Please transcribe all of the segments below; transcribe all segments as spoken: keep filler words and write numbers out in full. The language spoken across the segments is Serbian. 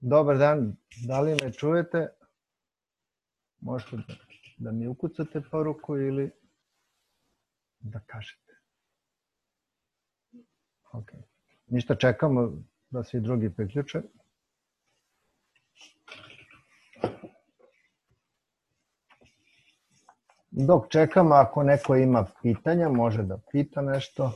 Dobar dan, da li me čujete? Možete da, da mi ukucate poruku ili da kažete. Ok. Ništa, čekamo da svi drugi priključe. Dok čekamo, ako neko ima pitanja, može da pita nešto.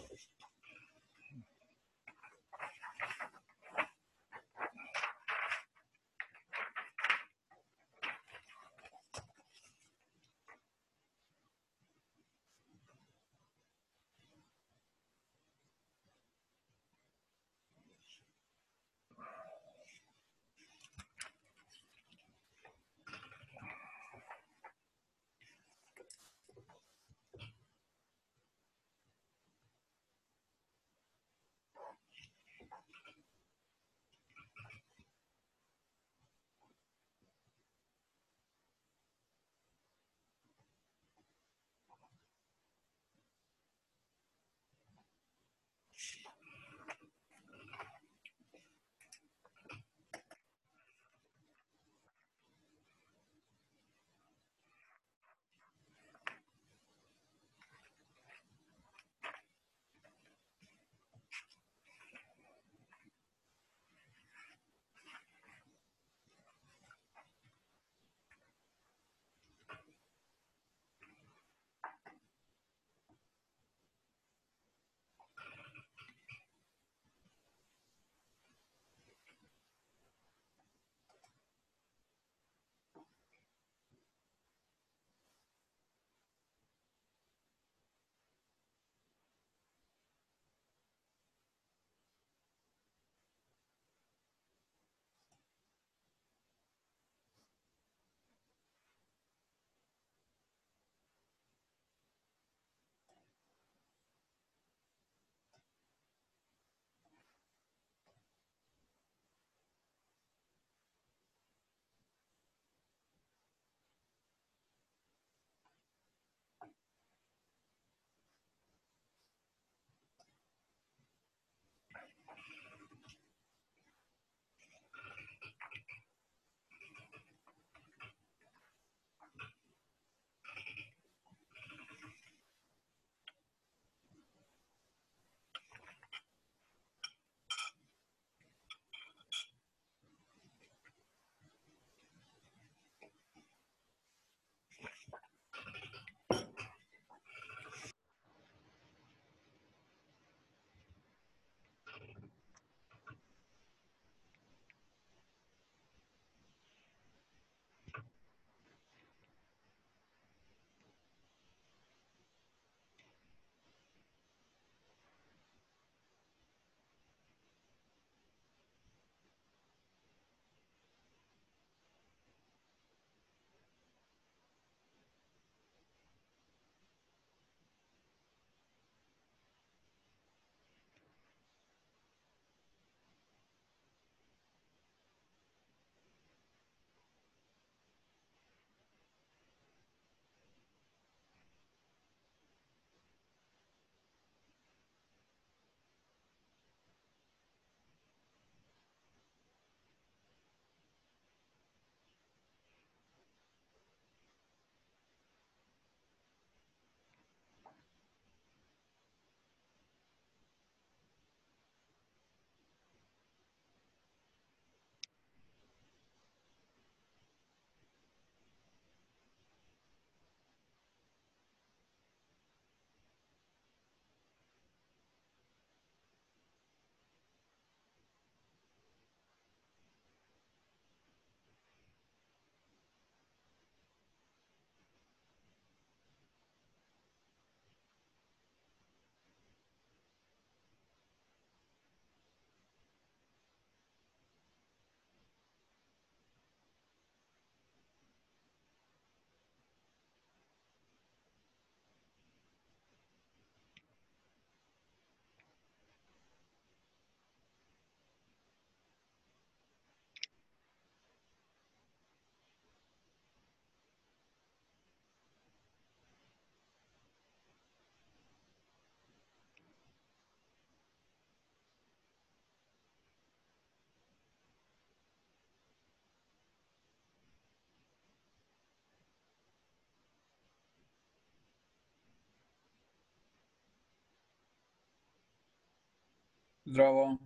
Zdravo.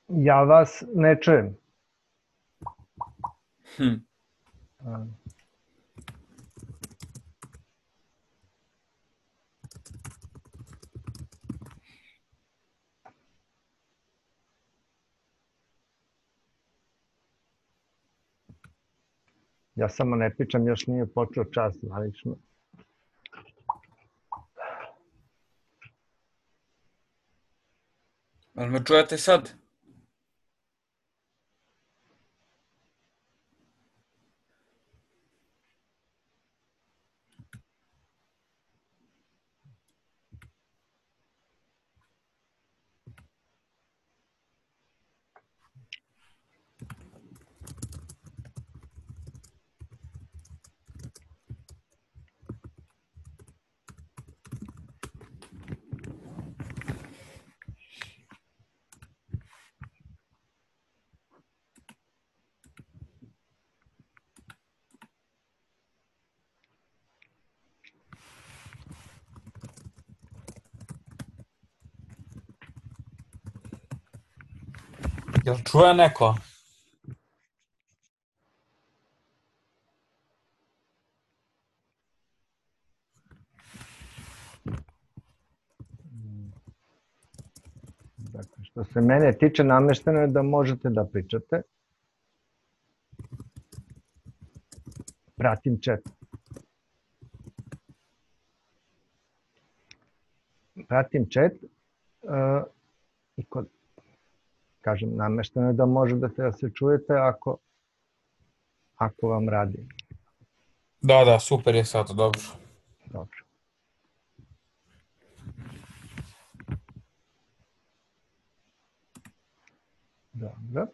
Ja vas ne čujem. Hm. Ja samo ne pričam, još nije počeo čas zvanično. Jel me čujete sad? Jel čuje neko? Dakle, što se mene tiče, namešteno je da možete da pričate. Pratim chat. Pratim chat uh, i kod, kažem, namešteno je da možete da se čujete ako, ako vam radi. Da, da, super je sad, dobro. Dobro. Dobro.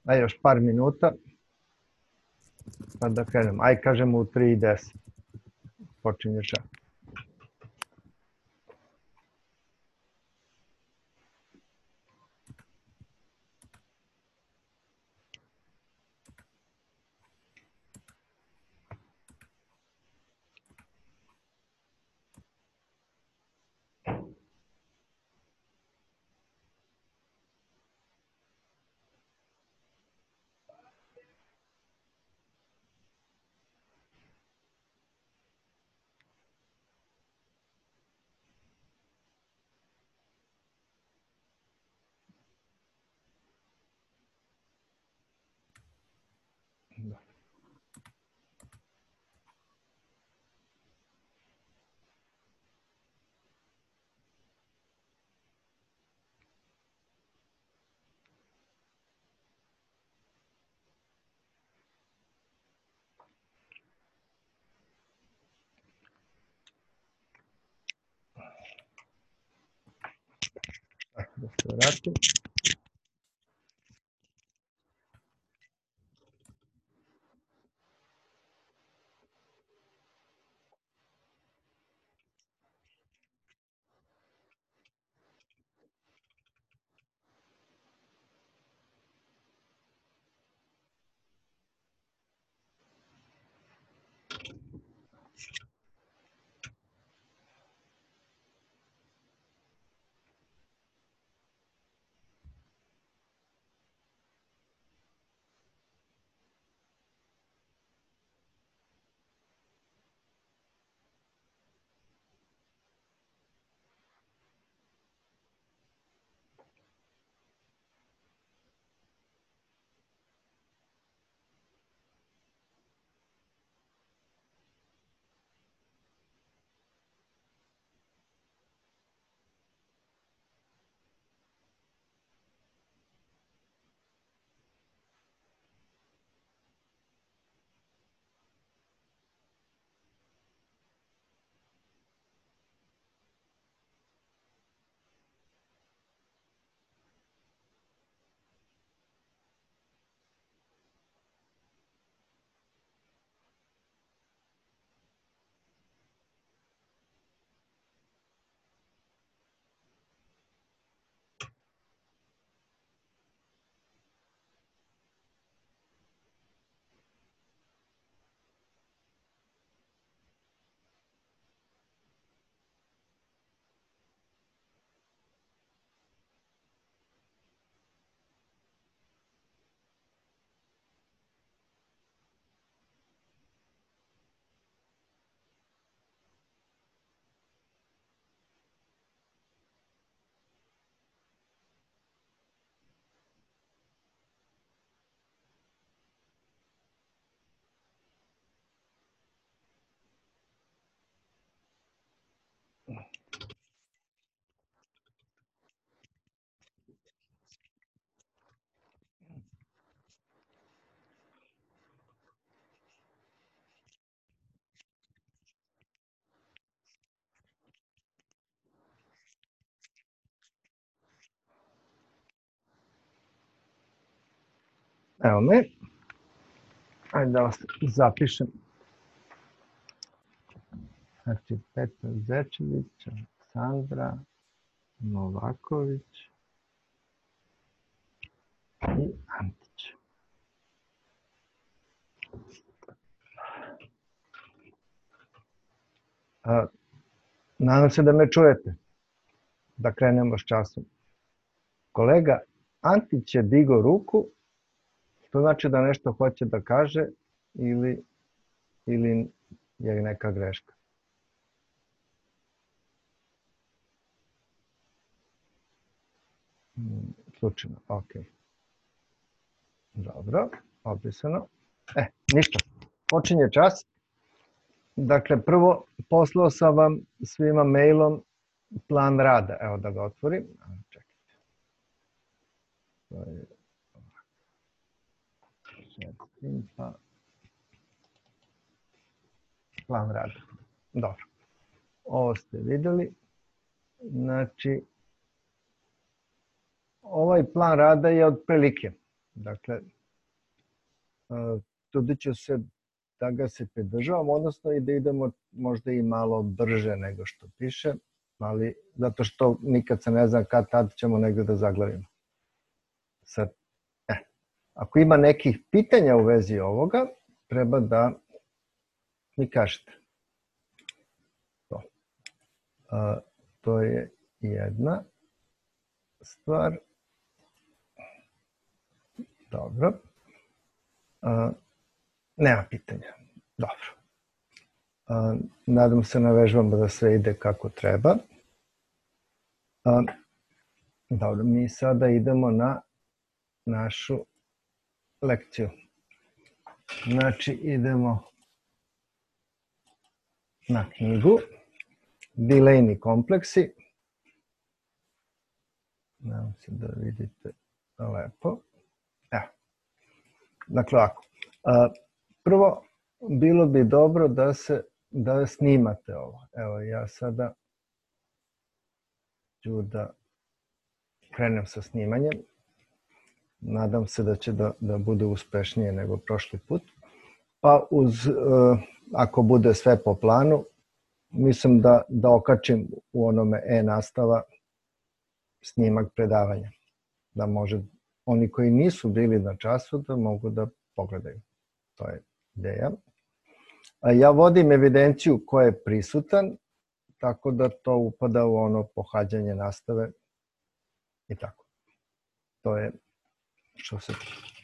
A još par minuta, pa da krenemo. Aj, kažemo u tri i deset. Počinje čas. Da se vratim. Evo me. Ajde da vas zapišem. Znači, Petar Zečević, Sandra Novaković i Antić. A, nadam se da me čujete. Da krenemo s časom. Kolega Antić je digao ruku, to znači da nešto hoće da kaže ili, ili je neka greška. Slučajno, ok. Dobro, opisano. E, ništa. Počinje čas. Dakle, prvo poslao sam vam svima mailom plan rada. Evo da ga otvorim. Čekajte. To je pa plan rada. Dobro. Ovo ste videli. Znači, ovaj plan rada je otprilike. Dakle, trudit ću se da ga se pridržavam, odnosno i da idemo možda i malo brže nego što piše, ali zato što nikad se ne zna kad tad ćemo negde da zaglavimo. Sad, eh, ako ima nekih pitanja u vezi ovoga, treba da mi kažete. To, A, to je jedna stvar. Dobro. A, nema pitanja. Dobro. A, nadam se na vežbama da sve ide kako treba. A, dobro, mi sada idemo na našu lekciju. Znači, idemo na knjigu Delaney kompleksi. Nadam se da vidite lepo. Evo. Dakle, ovako. Prvo, bilo bi dobro da se da snimate ovo. Evo, ja sada ću da krenem sa snimanjem. Nadam se da će da, da bude uspešnije nego prošli put. Pa uz, ako bude sve po planu, mislim da, da okačim u onome e-nastava snimak predavanja. Da može oni koji nisu bili na času da mogu da pogledaju. To je ideja. A ja vodim evidenciju ko je prisutan, tako da to upada u ono pohađanje nastave i tako. To je što se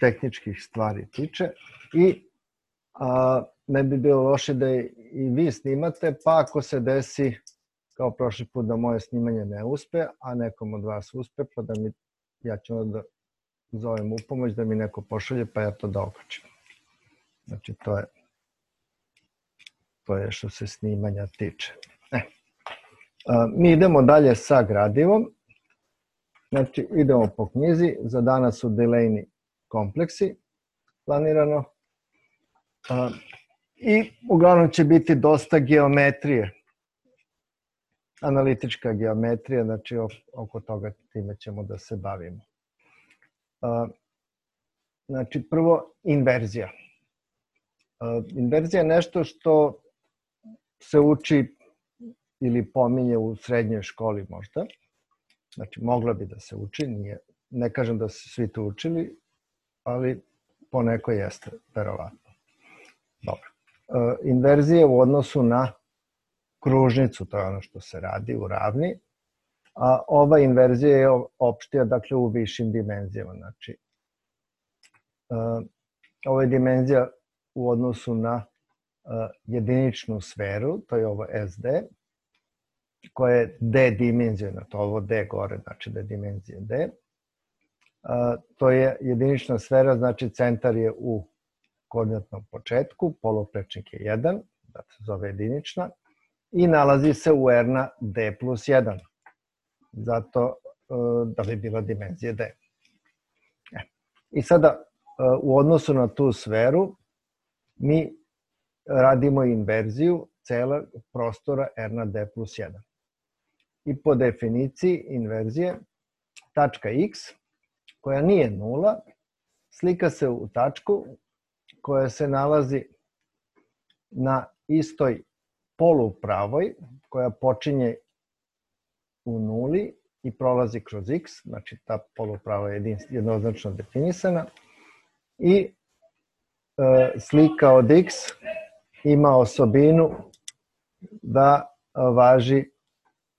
tehničkih stvari tiče. I a, ne bi bilo loše da i vi snimate, pa ako se desi kao prošli put da moje snimanje ne uspe, a nekom od vas uspe, pa da mi, ja ću onda zovem u pomoć da mi neko pošalje, pa ja to da okačim. Znači, to je, to je što se snimanja tiče. E. A, mi idemo dalje sa gradivom. Znači, idemo po knjizi. Za danas su Delaney kompleksi planirano. A, I uglavnom će biti dosta geometrije. Analitička geometrija, znači oko toga time ćemo da se bavimo. A, znači, prvo, inverzija. A, inverzija je nešto što se uči ili pominje u srednjoj školi možda. Znači, mogla bi da se uči, nije, ne kažem da su svi to učili, ali poneko jeste, verovatno. Dobro. E, inverzija u odnosu na kružnicu, to je ono što se radi u ravni, a ova inverzija je opštija, dakle, u višim dimenzijama. Znači, e, ovo je dimenzija u odnosu na e, jediničnu sferu, to je ovo S D, koja je D dimenzija, to ovo D gore, znači da je dimenzija D. A, to je jedinična sfera, znači centar je u koordinatnom početku, poluprečnik je jedan, da se zove jedinična, i nalazi se u R na D plus jedan. Zato da bi bila dimenzija D. I sada u odnosu na tu sferu mi radimo inverziju celog prostora R na D plus jedan. I po definiciji inverzije tačka X koja nije nula slika se u tačku koja se nalazi na istoj polupravoj koja počinje u nuli i prolazi kroz X, znači ta poluprava je jednoznačno definisana i e, slika od X ima osobinu da važi,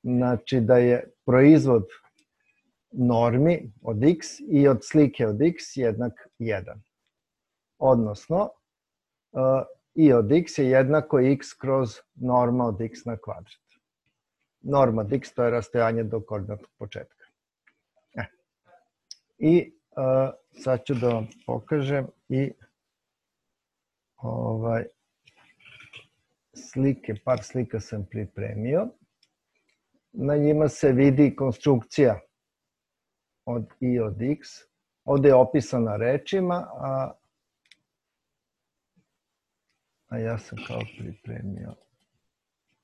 znači da je proizvod normi od X i od slike od X jednak jedan. Odnosno, e, i od X je jednako X kroz norma od X na kvadrat. Norma od X to je rastojanje do koordinatnog početka. E. I e, sad ću da vam pokažem i ovaj, slike, par slika sam pripremio. Na njima se vidi konstrukcija od i od X. Ovde je opisana rečima, a, a ja sam kao pripremio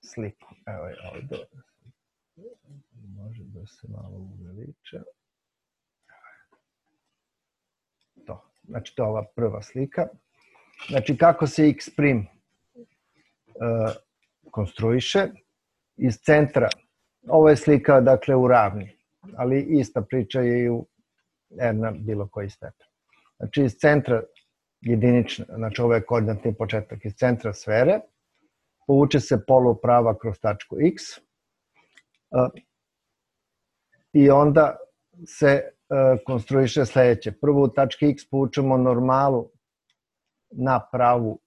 sliku. Evo je ovde. Može da se malo uveliča. To. Znači, to je ova prva slika. Znači, kako se X prim uh, konstruiše iz centra. Ovo je slika, dakle, u ravni, ali ista priča je i u R na bilo koji stepen. Znači, iz centra jedinične, znači ovo je koordinatni početak, iz centra sfere, povuče se poluprava kroz tačku X uh, i onda se uh, konstruiše sledeće. Prvo u tački X povučemo normalu na pravu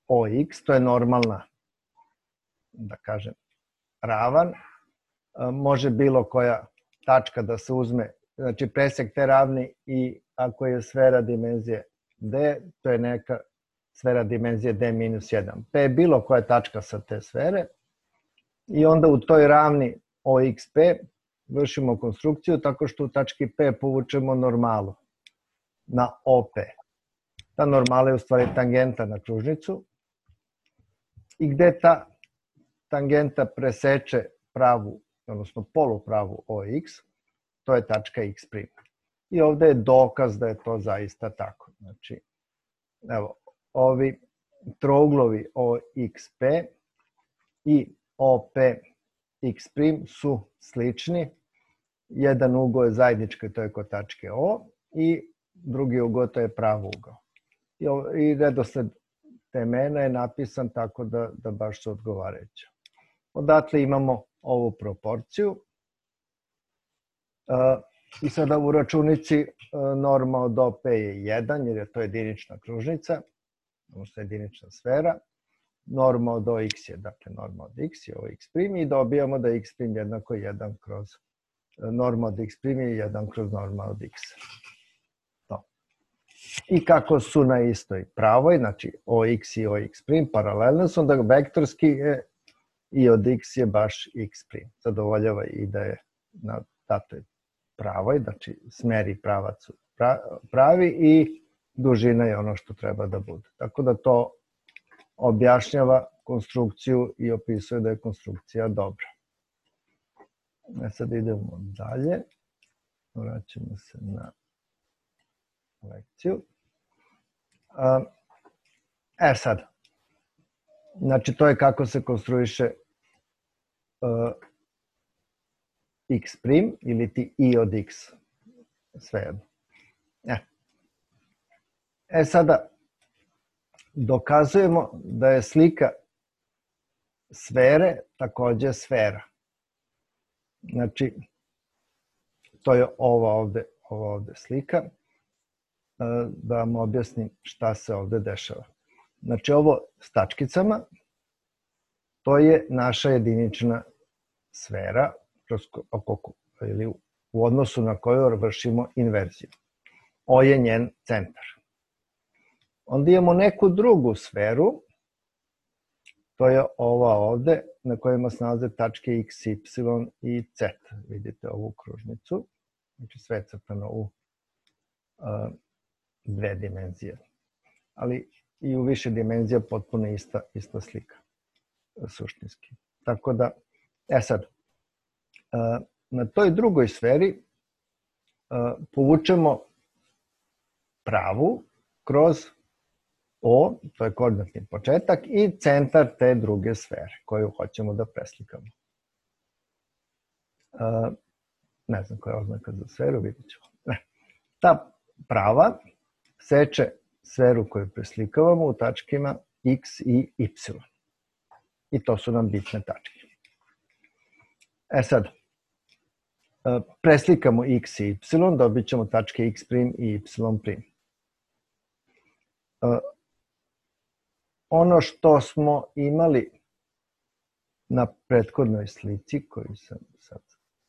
O X, to je normalna, da kažem, ravan. Uh, može bilo koja tačka da se uzme, znači presek te ravni i ako je sfera dimenzije D, to je neka sfera dimenzije D minus jedan. P je bilo koja tačka sa te sfere i onda u toj ravni O X P vršimo konstrukciju tako što u tački P povučemo normalu na O P. Ta normala je u stvari tangenta na kružnicu i gde ta tangenta preseče pravu, odnosno polupravu O X, to je tačka X prim. I ovde je dokaz da je to zaista tako. Znači, evo, ovi trouglovi O X P i O P X prim su slični. Jedan ugao je zajednički, to je kod tačke O, i drugi ugao to je prav ugao. I, i redosled temena je napisan tako da, da baš su odgovarajuće. Odatle imamo ovu proporciju. Uh, I sada u računici norma od O P je jedan, jer je to jedinična kružnica, odnosno jedinična sfera. Norma od O X je, dakle, norma od X je O X prim i dobijamo da X prim jednako jedan kroz norma od X prim je jedan kroz norma od X. To. I kako su na istoj pravoj, znači O X i O X prim paralelno su, onda vektorski je i od X je baš X prim. Zadovoljava i da je na datoj pravoj, znači smer i pravac su pravi i dužina je ono što treba da bude. Tako da to objašnjava konstrukciju i opisuje da je konstrukcija dobra. E sad idemo dalje. Vraćamo se na lekciju. E sad, znači to je kako se konstruiše X prim ili ti i od X, svejedno. E. e sada, dokazujemo da je slika sfere takođe sfera. Znači, to je ova ovde, ova ovde slika. Da vam objasnim šta se ovde dešava. Znači, ovo s tačkicama, to je naša jedinična sfera, ili u odnosu na koju vršimo inverziju. O je njen centar. Onda imamo neku drugu sferu to je ova ovde na kojima se nalaze tačke x, y i z. Vidite ovu kružnicu, znači sve je crtano u uh, dve dimenzije. Ali i u više dimenzija potpuno ista, ista slika, suštinski. Tako da, e sad, uh, na toj drugoj sferi uh, povučemo pravu kroz O, to je koordinatni početak, i centar te druge sfere koju hoćemo da preslikamo. Uh, ne znam koja je oznaka za sferu, vidjet ćemo. Ne. Ta prava seče sferu koju preslikavamo u tačkima x i y. I to su nam bitne tačke. E sad, uh, preslikamo x i y, dobit ćemo tačke x' i y'. Uh, Ono što smo imali na prethodnoj slici, koju sam sad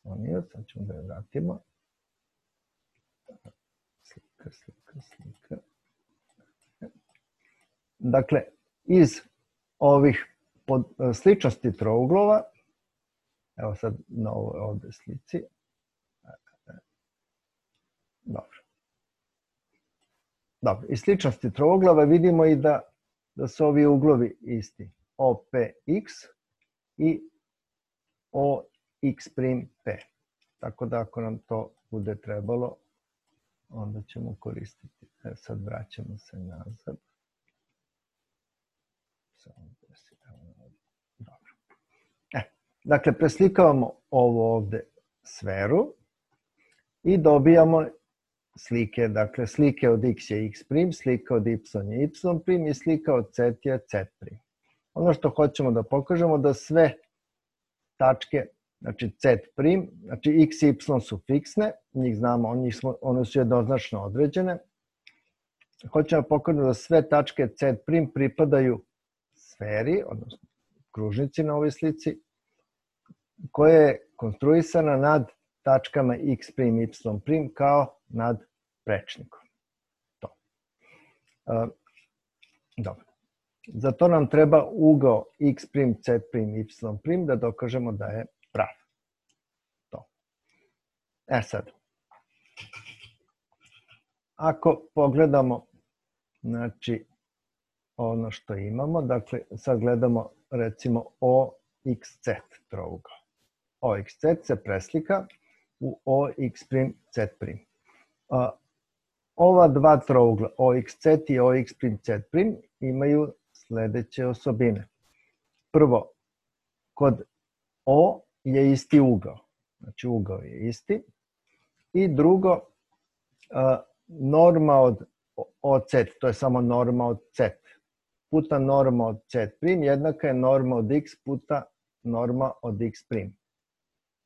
slonio, sad ćemo da je vratimo. Slika, slika, slika. Dakle, iz ovih sličnosti trouglova, evo sad na ovoj ovde slici. Dobro. Dobro, iz sličnosti trouglova vidimo i da da su ovi uglovi isti, O P X i O X' P. Tako da ako nam to bude trebalo, onda ćemo koristiti. E, sad vraćamo se nazad. Dobro. E, dakle, preslikavamo ovo ovde sferu i dobijamo slike, dakle slike od x je x', slika od y je y' i slika od z je z'. Ono što hoćemo da pokažemo da sve tačke, znači z', znači x i y su fiksne, njih znamo, njih smo, one su jednoznačno određene. Hoćemo da pokažemo da sve tačke z' pripadaju sferi, odnosno kružnici na ovoj slici, koja je konstruisana nad tačkama x', y' kao nad prečnikom. To. Uh, dobro. Za to nam treba ugao x', z', y' da dokažemo da je prav. To. E sad, ako pogledamo, znači, ono što imamo, dakle, sad gledamo recimo O X Z trougao. O X Z se preslika u O X', Z'. Uh, ova dva trougla, O X Z i O X', Z' imaju sledeće osobine. Prvo, kod O je isti ugao, znači ugao je isti. I drugo, uh, norma od O Z, to je samo norma od Z, puta norma od Z' jednaka je norma od X puta norma od X'.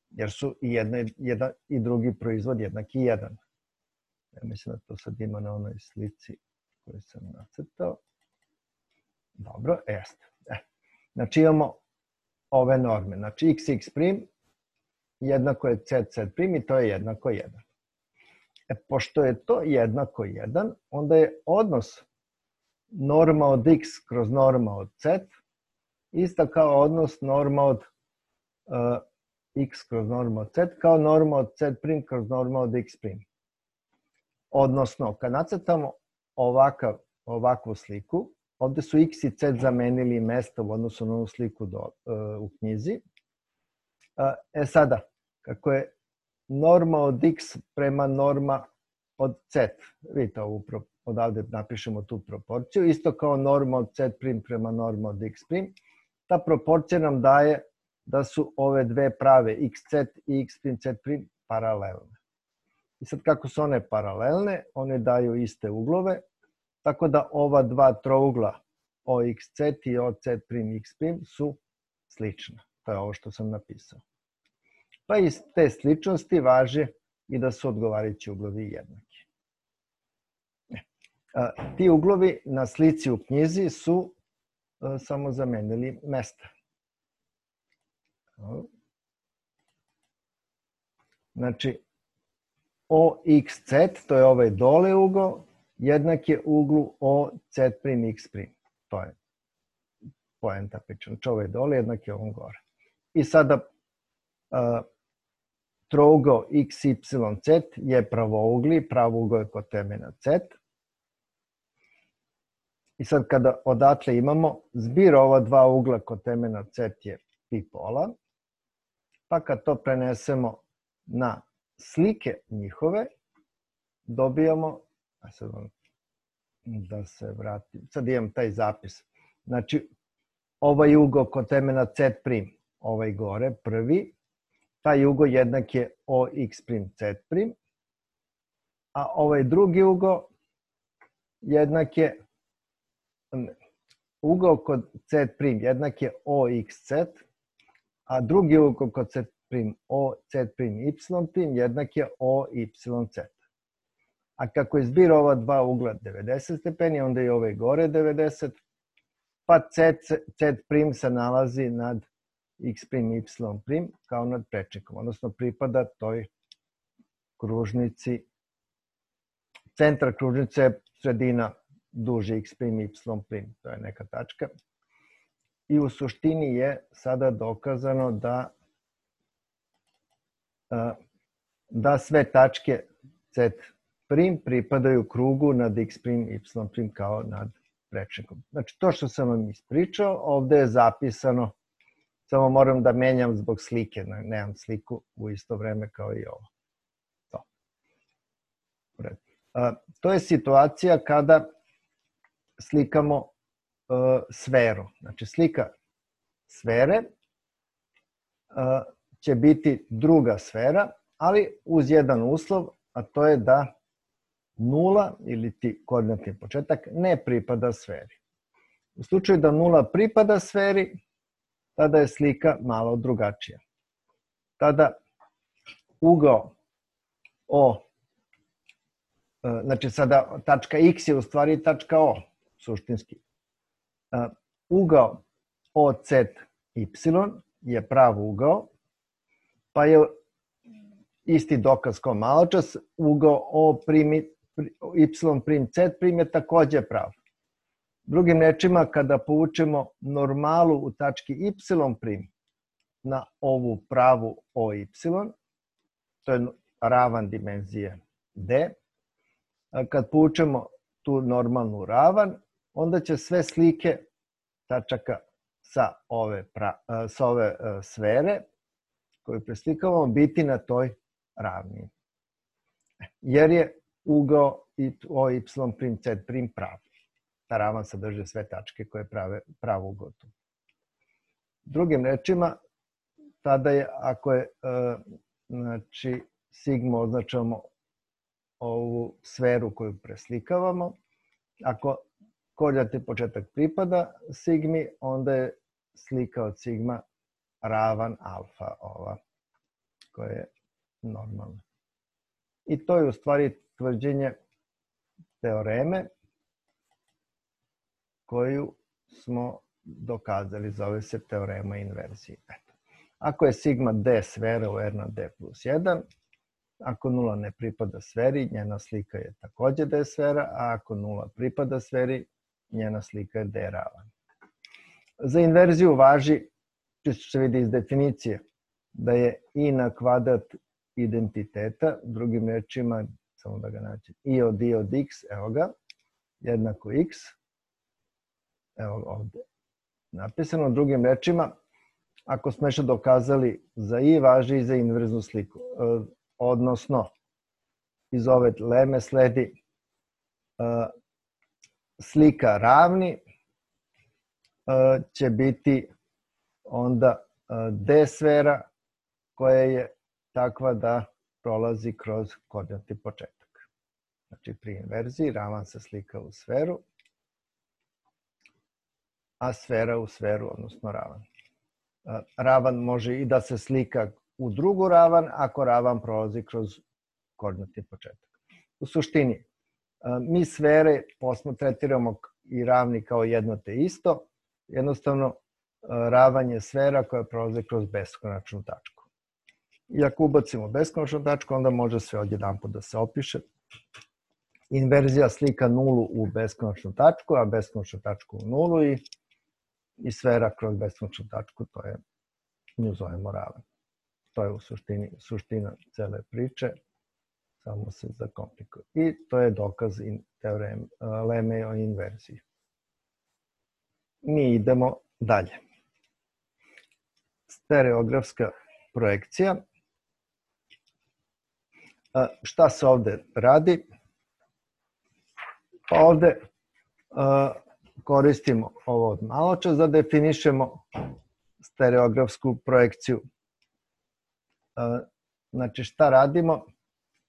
Jer su i jedna, jedan i drugi proizvod jednaki jedan. Ja mislim da to sad ima na onoj slici koju sam nacrtao. Dobro, jeste. E. Znači imamo ove norme. Znači x, x' jednako je z, z' i to je jednako jedan. E, pošto je to jednako jedan, onda je odnos norma od x kroz norma od z ista kao odnos norma od uh, x kroz norma od z kao norma od z' kroz norma od x'. Odnosno, kad nacrtamo ovakav, ovakvu sliku, ovde su x i z zamenili mesta u odnosu na ovu sliku do, uh, u knjizi. Uh, e sada, kako je norma od x prema norma od z, vidite ovu, odavde napišemo tu proporciju, isto kao norma od z' prema norma od x', ta proporcija nam daje da su ove dve prave xz i x', z' paralelne. I sad kako su one paralelne, one daju iste uglove, tako da ova dva trougla O X Z i O Z' X' su slična. To je ovo što sam napisao. Pa iz te sličnosti važe i da su odgovarajući uglovi jednaki. Ti uglovi na slici u knjizi su samo zamenili mesta. Znači, O X Z, to je ovaj dole ugao, jednak je uglu O Z' X'. To je poenta priča. Znači ovaj dole jednak je ovom gore. I sada uh, trougao x y z je pravougli, pravougao je kotemena z. I sad kada odatle imamo, zbir ova dva ugla kotemena z je pi pola, pa kad to prenesemo na slike njihove, dobijamo, a sad da se vratim, sad imam taj zapis, znači ovaj ugao kotemena z prim, ovaj gore, prvi, taj ugao jednak je ox prim z prim, a ovaj drugi ugao jednak je, ugao kod z prim jednak je oxz, a drugi ugao kod z prim oz prim y prim jednak je oyz. A kako je zbir ova dva ugla devedeset stepeni, onda je ovaj gore devedeset, pa z, z prim se nalazi nad x prim y prim kao nad prečnikom, odnosno pripada toj kružnici. Centar kružnice je sredina duže x prim y prim, to je neka tačka. I u suštini je sada dokazano da da sve tačke z prim pripadaju krugu nad x prim y prim kao nad prečnikom. Znači to što sam vam ispričao, ovde je zapisano, samo moram da menjam zbog slike, nemam sliku u isto vreme kao i ovo. To, to je situacija kada slikamo uh, sferu. Znači slika sfere uh, će biti druga sfera, ali uz jedan uslov, a to je da nula ili ti koordinatni početak ne pripada sferi. U slučaju da nula pripada sferi, tada je slika malo drugačija. Tada ugao O, znači sada tačka X je u stvari tačka O, suštinski. Ugao O Z Y je prav ugao, pa je isti dokaz kao maločas, ugao O primi, Y prim Z prim je takođe prav. Drugim rečima, kada povučemo normalu u tački Y prim na ovu pravu O Y, to je ravan dimenzije D, kad povučemo tu normalnu ravan, onda će sve slike tačaka sa ove, pra, sa ove sfere koju preslikavamo biti na toj ravni. Jer je ugao O Y prim Z prim prav. Ta ravan sadrži sve tačke koje prave pravu ugao tu. Drugim rečima, tada je, ako je, znači, sigma označavamo ovu sferu koju preslikavamo, ako koordinatni početak pripada sigmi, onda je slika od sigma ravan alfa ova, koja je normalna. I to je u stvari tvrđenje teoreme koju smo dokazali, zove se teorema inverzije. Eto. Ako je sigma d sfera u R na d plus jedan, ako nula ne pripada sferi, njena slika je takođe d sfera, a ako nula pripada sferi, njena slika je d ravan. Za inverziju važi, čisto se vidi iz definicije, da je i na kvadrat identiteta, drugim rečima, samo da ga naći, i od i od x, evo ga, jednako x, evo ovde napisano, drugim rečima, ako smo još dokazali za i, važi i za inverznu sliku. Odnosno, iz ove leme sledi slika ravni će biti onda d sfera koja je takva da prolazi kroz koordinatni početak. Znači pri inverziji ravan se slika u sferu, a sfera u sferu, odnosno ravan. Ravan može i da se slika u drugu ravan ako ravan prolazi kroz koordinatni početak. U suštini, mi sfere tretiramo i ravni kao jedno te isto, jednostavno ravan je sfera koja prolazi kroz beskonačnu tačku. I ako ubacimo beskonačnu tačku, onda može sve odjedanput da se opiše. Inverzija slika nulu u beskonačnu tačku, a beskonačnu tačku u nulu i i sfera kroz beskonačnu tačku, to je, nju zovemo ravan. To je u suštini suština cele priče, samo se zakomplikuje. I to je dokaz teoreme leme o inverziji. Mi idemo dalje. Stereografska projekcija. Šta se ovde radi? Pa ovde koristimo ovo od maločas da definišemo stereografsku projekciju. Znači, šta radimo?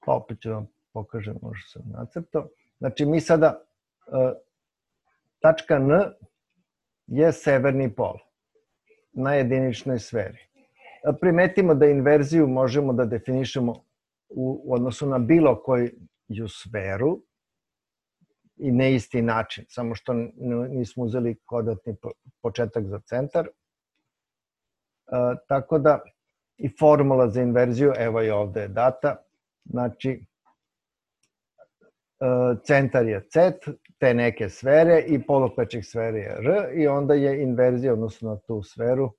Pa opet ću vam pokažem, možda sam nacrtao. Znači, mi sada, tačka N je severni pol na jediničnoj sferi. Primetimo da inverziju možemo da definišemo u odnosu na bilo koju sferu i na isti način, samo što nismo uzeli kvadratni početak za centar. Tako da i formula za inverziju, evo je ovde data, znači centar je C, te neke sfere i poluplečnik sfere je R i onda je inverzija odnosno na tu sferu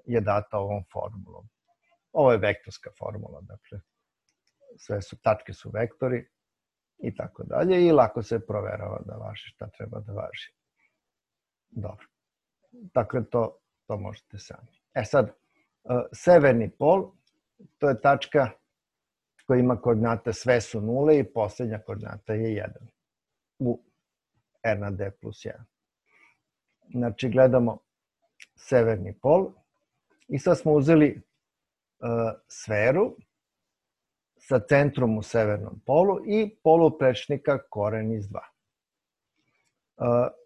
je data ovom formulom. Ovo je vektorska formula, dakle sve su, tačke su vektori i tako dalje i lako se proverava da važi šta treba da važi. Dobro. Dakle, to, to možete sami. E sad, severni pol, to je tačka koja ima koordinate, sve su nule i poslednja koordinata je jedan u R na D plus jedan. Znači, gledamo severni pol i sad smo uzeli sferu sa centrom u severnom polu i poluprečnika koren iz dva.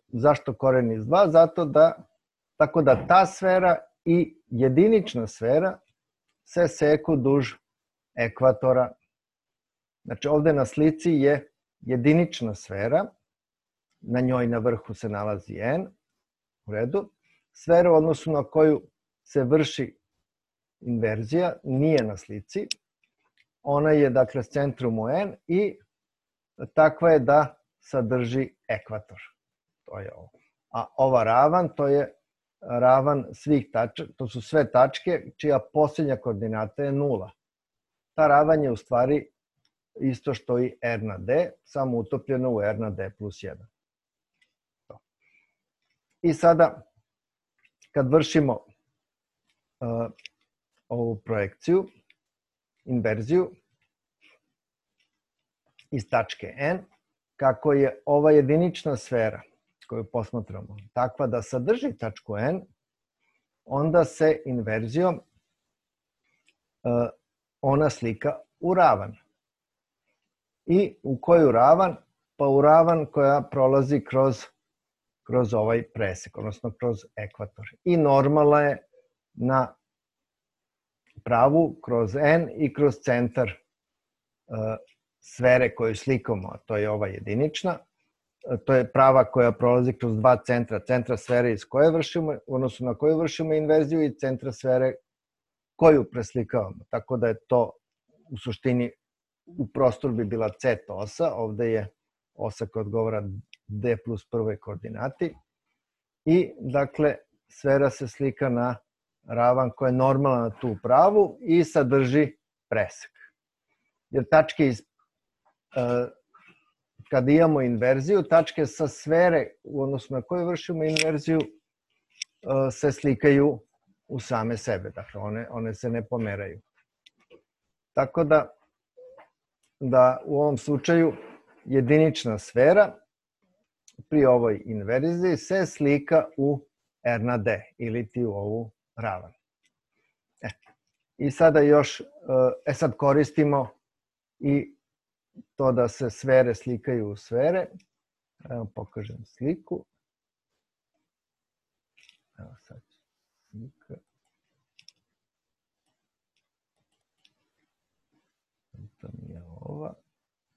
Zašto koren iz dva? Zato da, tako da ta sfera i jedinična sfera se seku duž ekvatora. Znači, ovde na slici je jedinična sfera, na njoj na vrhu se nalazi N, u redu. Sfera u odnosu na koju se vrši inverzija nije na slici. Ona je, dakle, s centrom u N i takva je da sadrži ekvator. To je ovo. A ova ravan, to je ravan svih tačaka, to su sve tačke čija posljednja koordinata je nula. Ta ravan je u stvari isto što i R na D, samo utopljeno u R na D plus jedan. I sada, kad vršimo uh, ovu projekciju, inverziju iz tačke N, kako je ova jedinična sfera koju posmatramo takva da sadrži tačku N, onda se inverzijom uh, ona slika u ravan. I u koju ravan? Pa u ravan koja prolazi kroz, kroz ovaj presek, odnosno kroz ekvator. I normalna je na pravu kroz N i kroz centar uh, sfere koju slikamo, a to je ova jedinična. To je prava koja prolazi kroz dva centra, centra sfere iz koje vršimo, odnosno na koju vršimo inverziju i centra sfere koju preslikavamo. Tako da je to u suštini u prostoru bi bila C osa, ovde je osa koja odgovara D plus prvoj koordinati i dakle sfera se slika na ravan koja je normalna na tu pravu i sadrži presek. Jer tačke iz, uh, kada imamo inverziju, tačke sa sfere u odnosu na koju vršimo inverziju uh, se slikaju u same sebe, dakle one, one se ne pomeraju. Tako da da u ovom slučaju jedinična sfera pri ovoj inverziji se slika u R na D ili ti u ovu ravan. E, I sada još, e sad koristimo i to da se sfere slikaju u sfere. Evo pokažem sliku. Evo sad slika. To nije ova,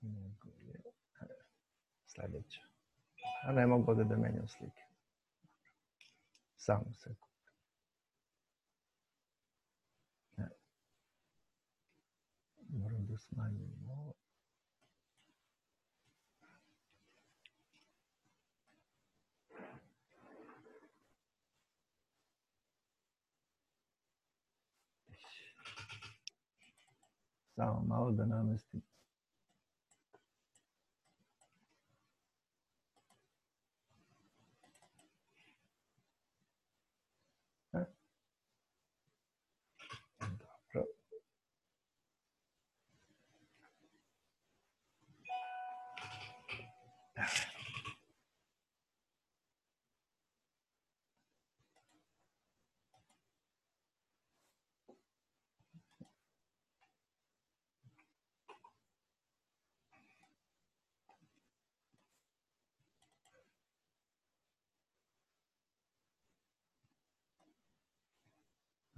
nego je sledeća. A ne mogu ovde da menjam slike. Samo sekund. Moram da smanjim ovo. Samo malo da namestim. Dobro.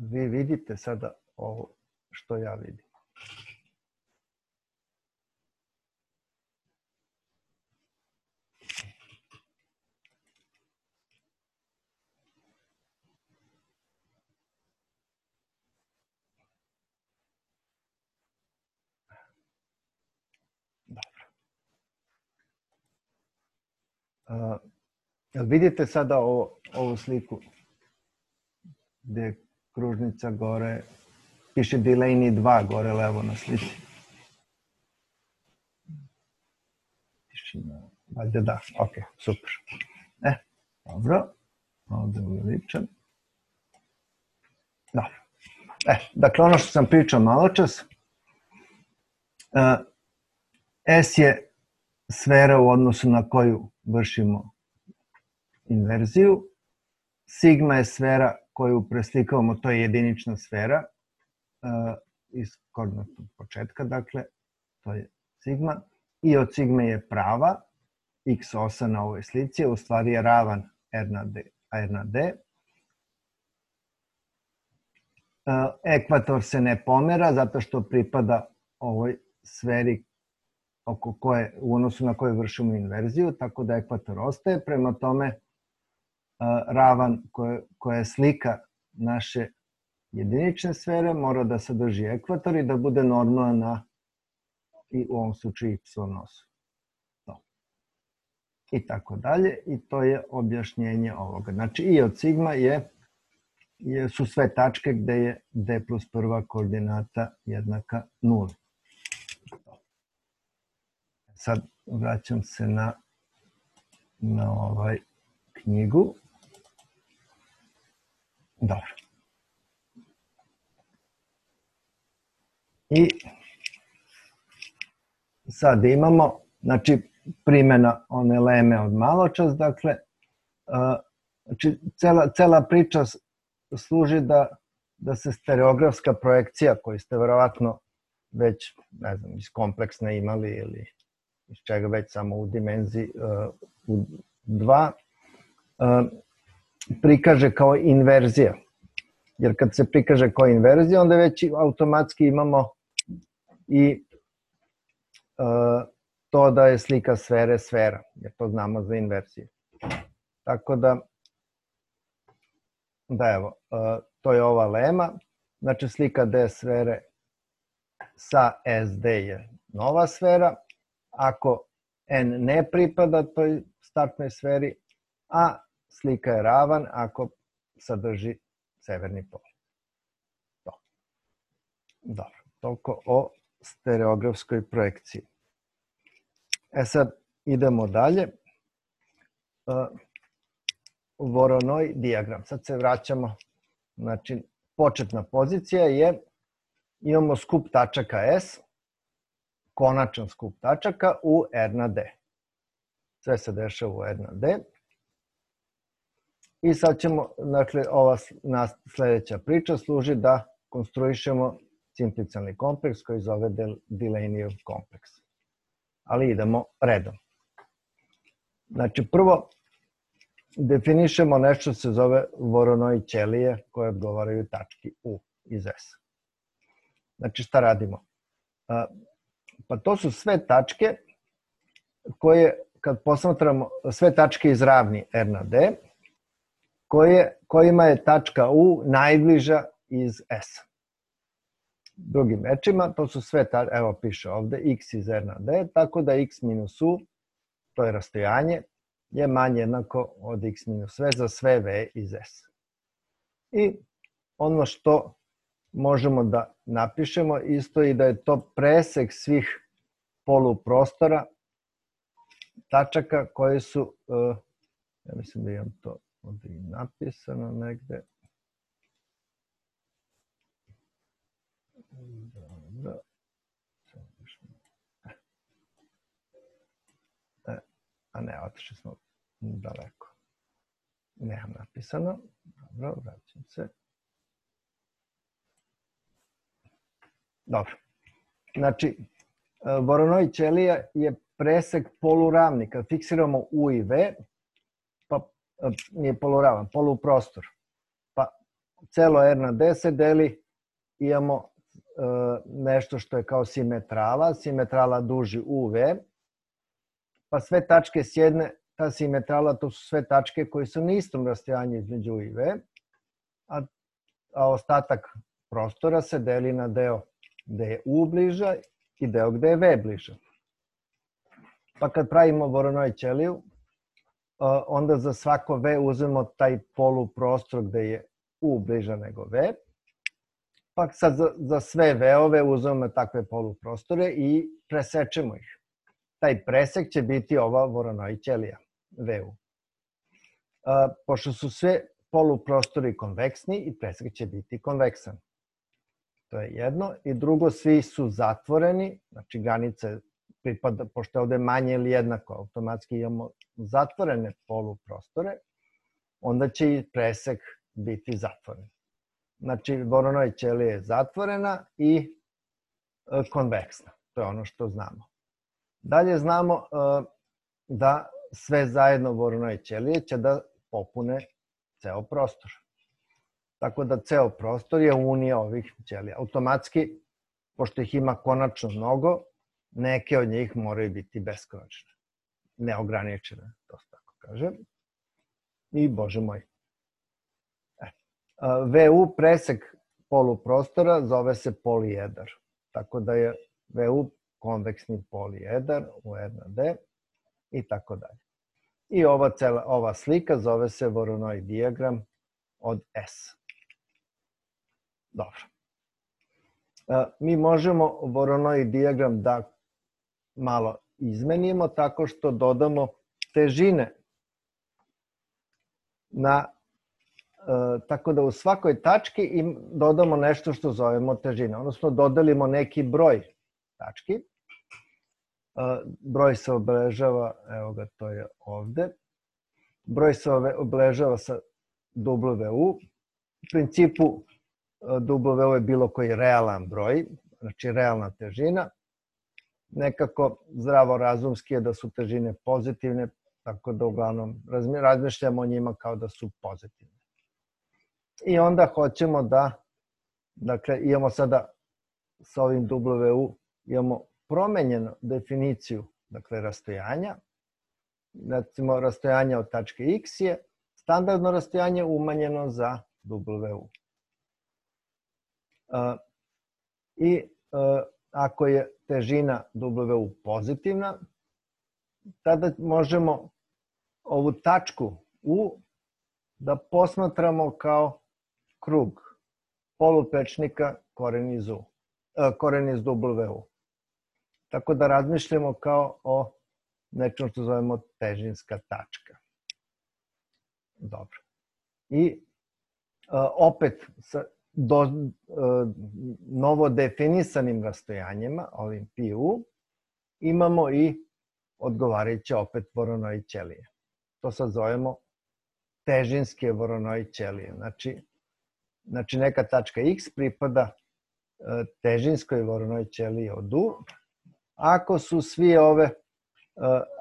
Vi vidite sada ovo što ja vidim. Dobro. Uh, jel vidite sada ovo, ovu sliku gde je kružnica gore, piše Delaney dva gore levo na slici. Tišina, valjda da, ok, super. E, dobro, ovde uveličam. Dobro. E, dakle, ono što sam pričao malo čas, uh, S je sfera u odnosu na koju vršimo inverziju, sigma je sfera koju preslikavamo, to je jedinična sfera uh, iz koordinatnog početka, dakle, to je sigma, i od sigme je prava, x osa na ovoj slici, u stvari je ravan r na d, r na d. Uh, ekvator se ne pomera zato što pripada ovoj sferi oko koje, u odnosu na koje vršimo inverziju, tako da ekvator ostaje. Prema tome, ravan koja je slika naše jedinične sfere mora da sadrži ekvator i da bude normalan na, i u ovom slučaju, y osu. I tako dalje. I to je objašnjenje ovoga. Znači, i od sigma je, je, su sve tačke gde je d plus prva koordinata jednaka nuli. Sad vraćam se na, na ovaj knjigu. Dobro. I sad imamo, znači, primjena one leme od maločas, dakle, znači, cela, cela priča služi da, da se stereografska projekcija, koju ste verovatno već, ne znam, iz kompleksne imali ili iz čega već samo u dimenziji uh, u dva, uh, prikaže kao inverzija. Jer kad se prikaže kao inverzija, onda već automatski imamo i uh, to da je slika sfere sfera, jer to znamo za inverziju. Tako da, da evo, uh, to je ova lema, znači slika D sfere sa S D je nova sfera, ako N ne pripada toj startnoj sferi, a slika je ravan ako sadrži severni pol. Dobro, toliko o stereografskoj projekciji. E sad, idemo dalje. Voronoj dijagram. Sad se vraćamo, znači, početna pozicija je, imamo skup tačaka S, konačan skup tačaka u R na D. Sve se dešava u R na D. I sad ćemo, dakle, ova sledeća priča služi da konstruišemo simplicijalni kompleks koji zove Delaneyjev kompleks. Ali idemo redom. Znači, prvo definišemo nešto se zove Voronoj ćelije koje odgovaraju tački U iz S. Znači, šta radimo? Pa to su sve tačke koje, kad posmatramo sve tačke iz ravni R na D, koje, kojima je tačka U najbliža iz S. Drugim rečima, to su sve tačke, evo piše ovde, x iz R na D, tako da x minus U, to je rastojanje, je manje jednako od x minus V za sve V iz S. I ono što možemo da napišemo isto i da je to presek svih poluprostora tačaka koje su, ja mislim da imam to ovdje i napisano negde. Dobro. A ne, otišli smo daleko. Nemam napisano. Dobro, vraćam se. Dobro. Znači, Voronoj ćelija je presek poluravni. Kad fiksiramo U i V, pa nije poluravan, poluprostor. Pa celo R na D se deli, imamo nešto što je kao simetrala, simetrala duži U V, pa sve tačke s jedne, ta simetrala, to su sve tačke koje su na istom rastojanju između U i V, a, a ostatak prostora se deli na deo gde je U bliža i deo gde je V bliža. Pa kad pravimo Voronoj ćeliju, onda za svako V uzmemo taj poluprostor gde je U bliža nego V, pa sad za, za sve V-ove uzmemo takve poluprostore i presečemo ih. Taj presek će biti ova Voronoj ćelija, V U. A, pošto su sve poluprostori konveksni i presek će biti konveksan. To je jedno. I drugo, svi su zatvoreni, znači granice pripada, pošto je ovde manje ili jednako, automatski imamo zatvorene poluprostore, onda će i presek biti zatvoren. Znači, Voronoj ćelija je zatvorena i konveksna. To je ono što znamo. Dalje znamo da sve zajedno Voronoj ćelije će da popune ceo prostor. Tako da ceo prostor je unija ovih ćelija. Automatski, pošto ih ima konačno mnogo, neke od njih moraju biti beskonačne. Neograničene, to se tako kaže. I, bože moj. V U, presek poluprostora, zove se polijedar. Tako da je V U konveksni polijedar u R na D i tako dalje. I ova, cela, ova slika zove se Voronoj dijagram od S. Dobro. Mi možemo Voronoj dijagram da malo izmenimo tako što dodamo težine na, tako da u svakoj tački im dodamo nešto što zovemo težine, odnosno dodelimo neki broj tački. Broj se obeležava, evo ga, to je ovde. Broj se obeležava sa W U. U principu W U je bilo koji realan broj, znači realna težina. Nekako zdravorazumski je da su težine pozitivne, tako da uglavnom razmišljamo o njima kao da su pozitivne. I onda hoćemo da, dakle, imamo sada sa ovim W U, imamo promenjenu definiciju, dakle, rastojanja. Recimo, rastojanje od tačke X je standardno rastojanje umanjeno za W U. I ako je težina W U pozitivna, tada možemo ovu tačku U da posmatramo kao krug poluprečnika koren iz U, koren iz W U. Tako da razmišljamo kao o nečem što zovemo težinska tačka. Dobro. I opet sa do, novo definisanim rastojanjima, ovim P U, imamo i odgovarajuće opet Voronoj ćelije. To sad zovemo težinske Voronoj ćelije. Znači, znači neka tačka X pripada težinskoj Voronoj ćeliji od U. Ako su svi ove,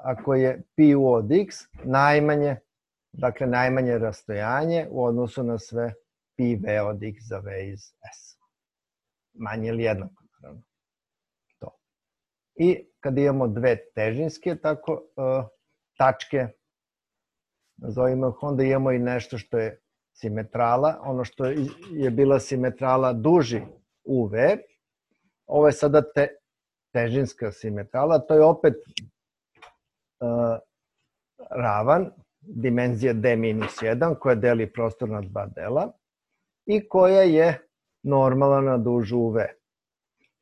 ako je P U od X najmanje, dakle najmanje rastojanje u odnosu na sve P V od X za V iz S. Manje ili jednako, naravno. To. I kad imamo dve težinske tako, tačke, nazovimo ih, onda imamo i nešto što je simetrala. Ono što je bila simetrala duži U V, ovo je sada te, težinska simetrala, to je opet uh, ravan, dimenzija D minus jedan, koja deli prostor na dva dela i koja je normalan na dužu U V.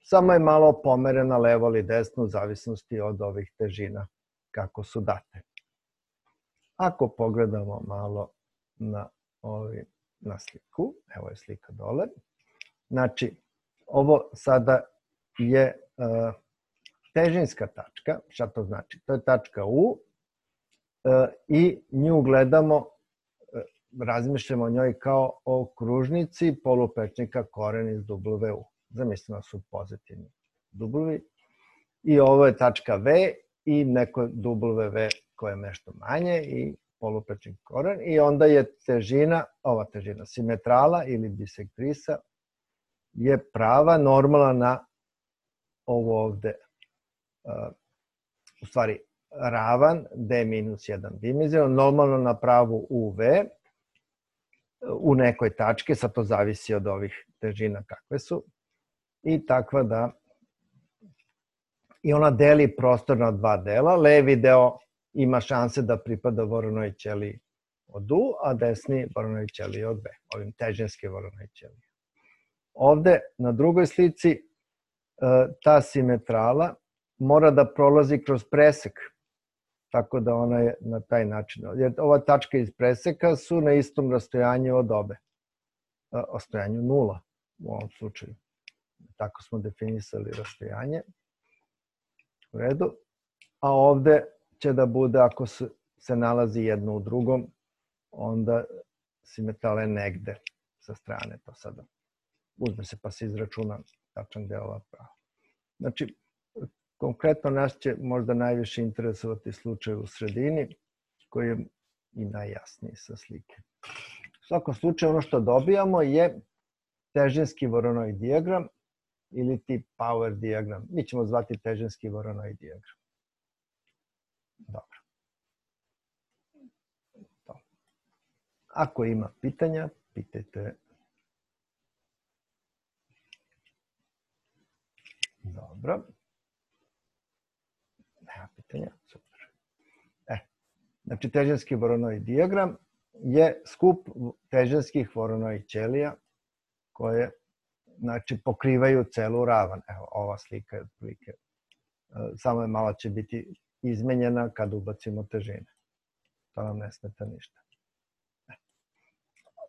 Samo je malo pomerena levo ili desno u zavisnosti od ovih težina kako su date. Ako pogledamo malo na, ovi, na sliku, evo je slika dole, znači ovo sada je uh, težinska tačka. Šta to znači? To je tačka U uh, i nju gledamo, uh, razmišljamo o njoj kao o kružnici poluprečnika koren iz W U. Zamislimo su pozitivni W. I ovo je tačka V i neko W V koje je nešto manje i poluprečnik koren. I onda je težina, ova težina, simetrala ili bisektrisa je prava, normalna na ovo ovde, uh, u stvari ravan D minus jedan dimenzionan, normalno na pravu U V u nekoj tački, sad to zavisi od ovih težina kakve su, i takva da i ona deli prostor na dva dela. Levi deo ima šanse da pripada Voronoj ćeliji od U, a desni Voronoj ćeliji od V, ovim težinske Voronoj ćeliji. Ovde na drugoj slici ta simetrala mora da prolazi kroz presek, tako da ona je na taj način. Jer ova tačka iz preseka su na istom rastojanju od obe, rastojanju nula u ovom slučaju. Tako smo definisali rastojanje. U redu. A ovde će da bude, ako se nalazi jedno u drugom, onda simetrala je negde sa strane. To sada uzme se pa se izračuna tačan deo ova prava. Znači, konkretno nas će možda najviše interesovati slučaj u sredini, koji je i najjasniji sa slike. U svakom slučaju, ono što dobijamo je težinski Voronoj dijagram ili ti power dijagram. Mi ćemo zvati težinski Voronoj dijagram. Dobro. Ako ima pitanja, pitajte. Dobro. Nema pitanja, super. E, znači, težinski Voronoj dijagram je skup težinskih Voronoj ćelija koje, znači, pokrivaju celu ravan. Evo, ova slika je otprilike, samo je malo će biti izmenjena kad ubacimo težine. To nam ne smeta ništa.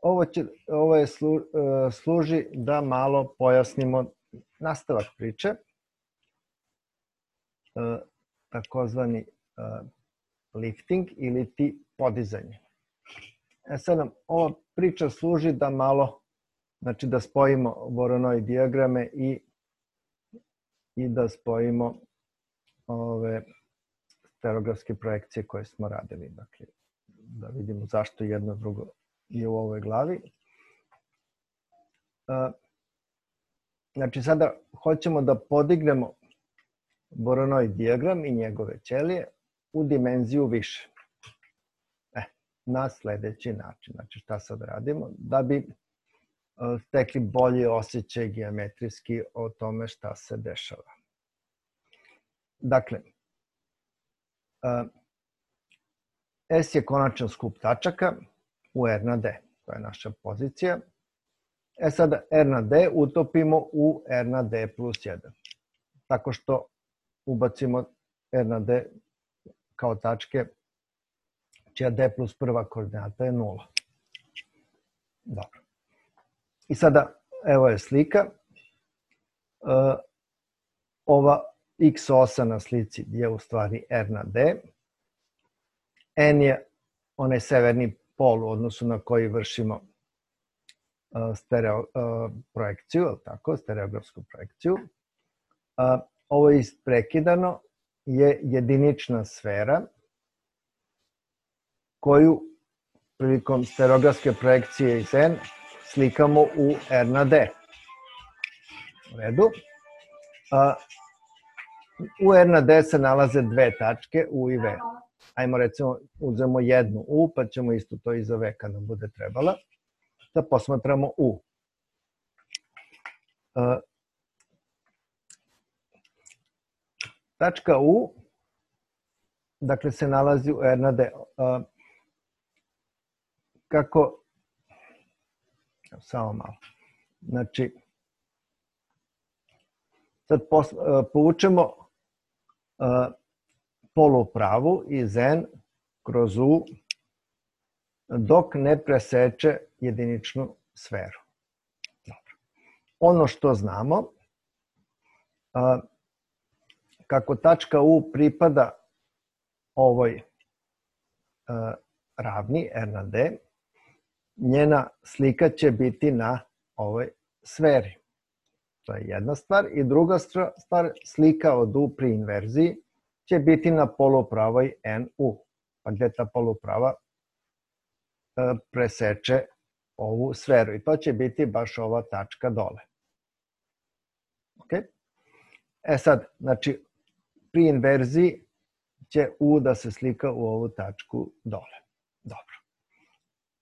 Ovo, će, ovo je slu, služi da malo pojasnimo nastavak priče, takozvani lifting ili ti podizanje. E sad nam ova priča služi da malo, znači da spojimo Voronoj dijagrame i, i da spojimo ove stereografske projekcije koje smo radili. Dakle, da vidimo zašto jedno drugo je u ovoj glavi. Znači, sada hoćemo da podignemo Voronoj dijagram i njegove ćelije u dimenziju više. E, na sledeći način. Znači, šta sad radimo? Da bi stekli bolji osjećaj geometrijski o tome šta se dešava. Dakle, S je konačan skup tačaka u R na D. To je naša pozicija. E sada R na D utopimo u R na D plus jedan. Tako što ubacimo R na D kao tačke čija D plus prva koordinata je nula. Dobro. I sada, evo je slika. Ova X osa na slici je u stvari R na D. N je onaj severni pol u odnosu na koji vršimo stereo projekciju, tako, stereografsku projekciju. Ovo isprekidano je jedinična sfera koju prilikom stereografske projekcije iz N slikamo u R na D. U redu. U R na D se nalaze dve tačke, U i V. Ajmo recimo, uzmemo jednu U, pa ćemo isto to i za V kad nam bude trebala. Da posmatramo U. Tačka U, dakle, se nalazi u R na D. Kako, samo malo, Znači, sad povučemo polupravu iz N kroz U dok ne preseče jediničnu sferu. Ono što znamo, kako tačka U pripada ovoj ravni R na D, njena slika će biti na ovoj sferi. To je jedna stvar. I druga stvar, slika od U pri inverziji će biti na polupravoj N U. Pa gde ta poluprava preseče ovu sferu. I to će biti baš ova tačka dole. Ok? E sad, znači, pri inverziji će U da se slika u ovu tačku dole. Dobro.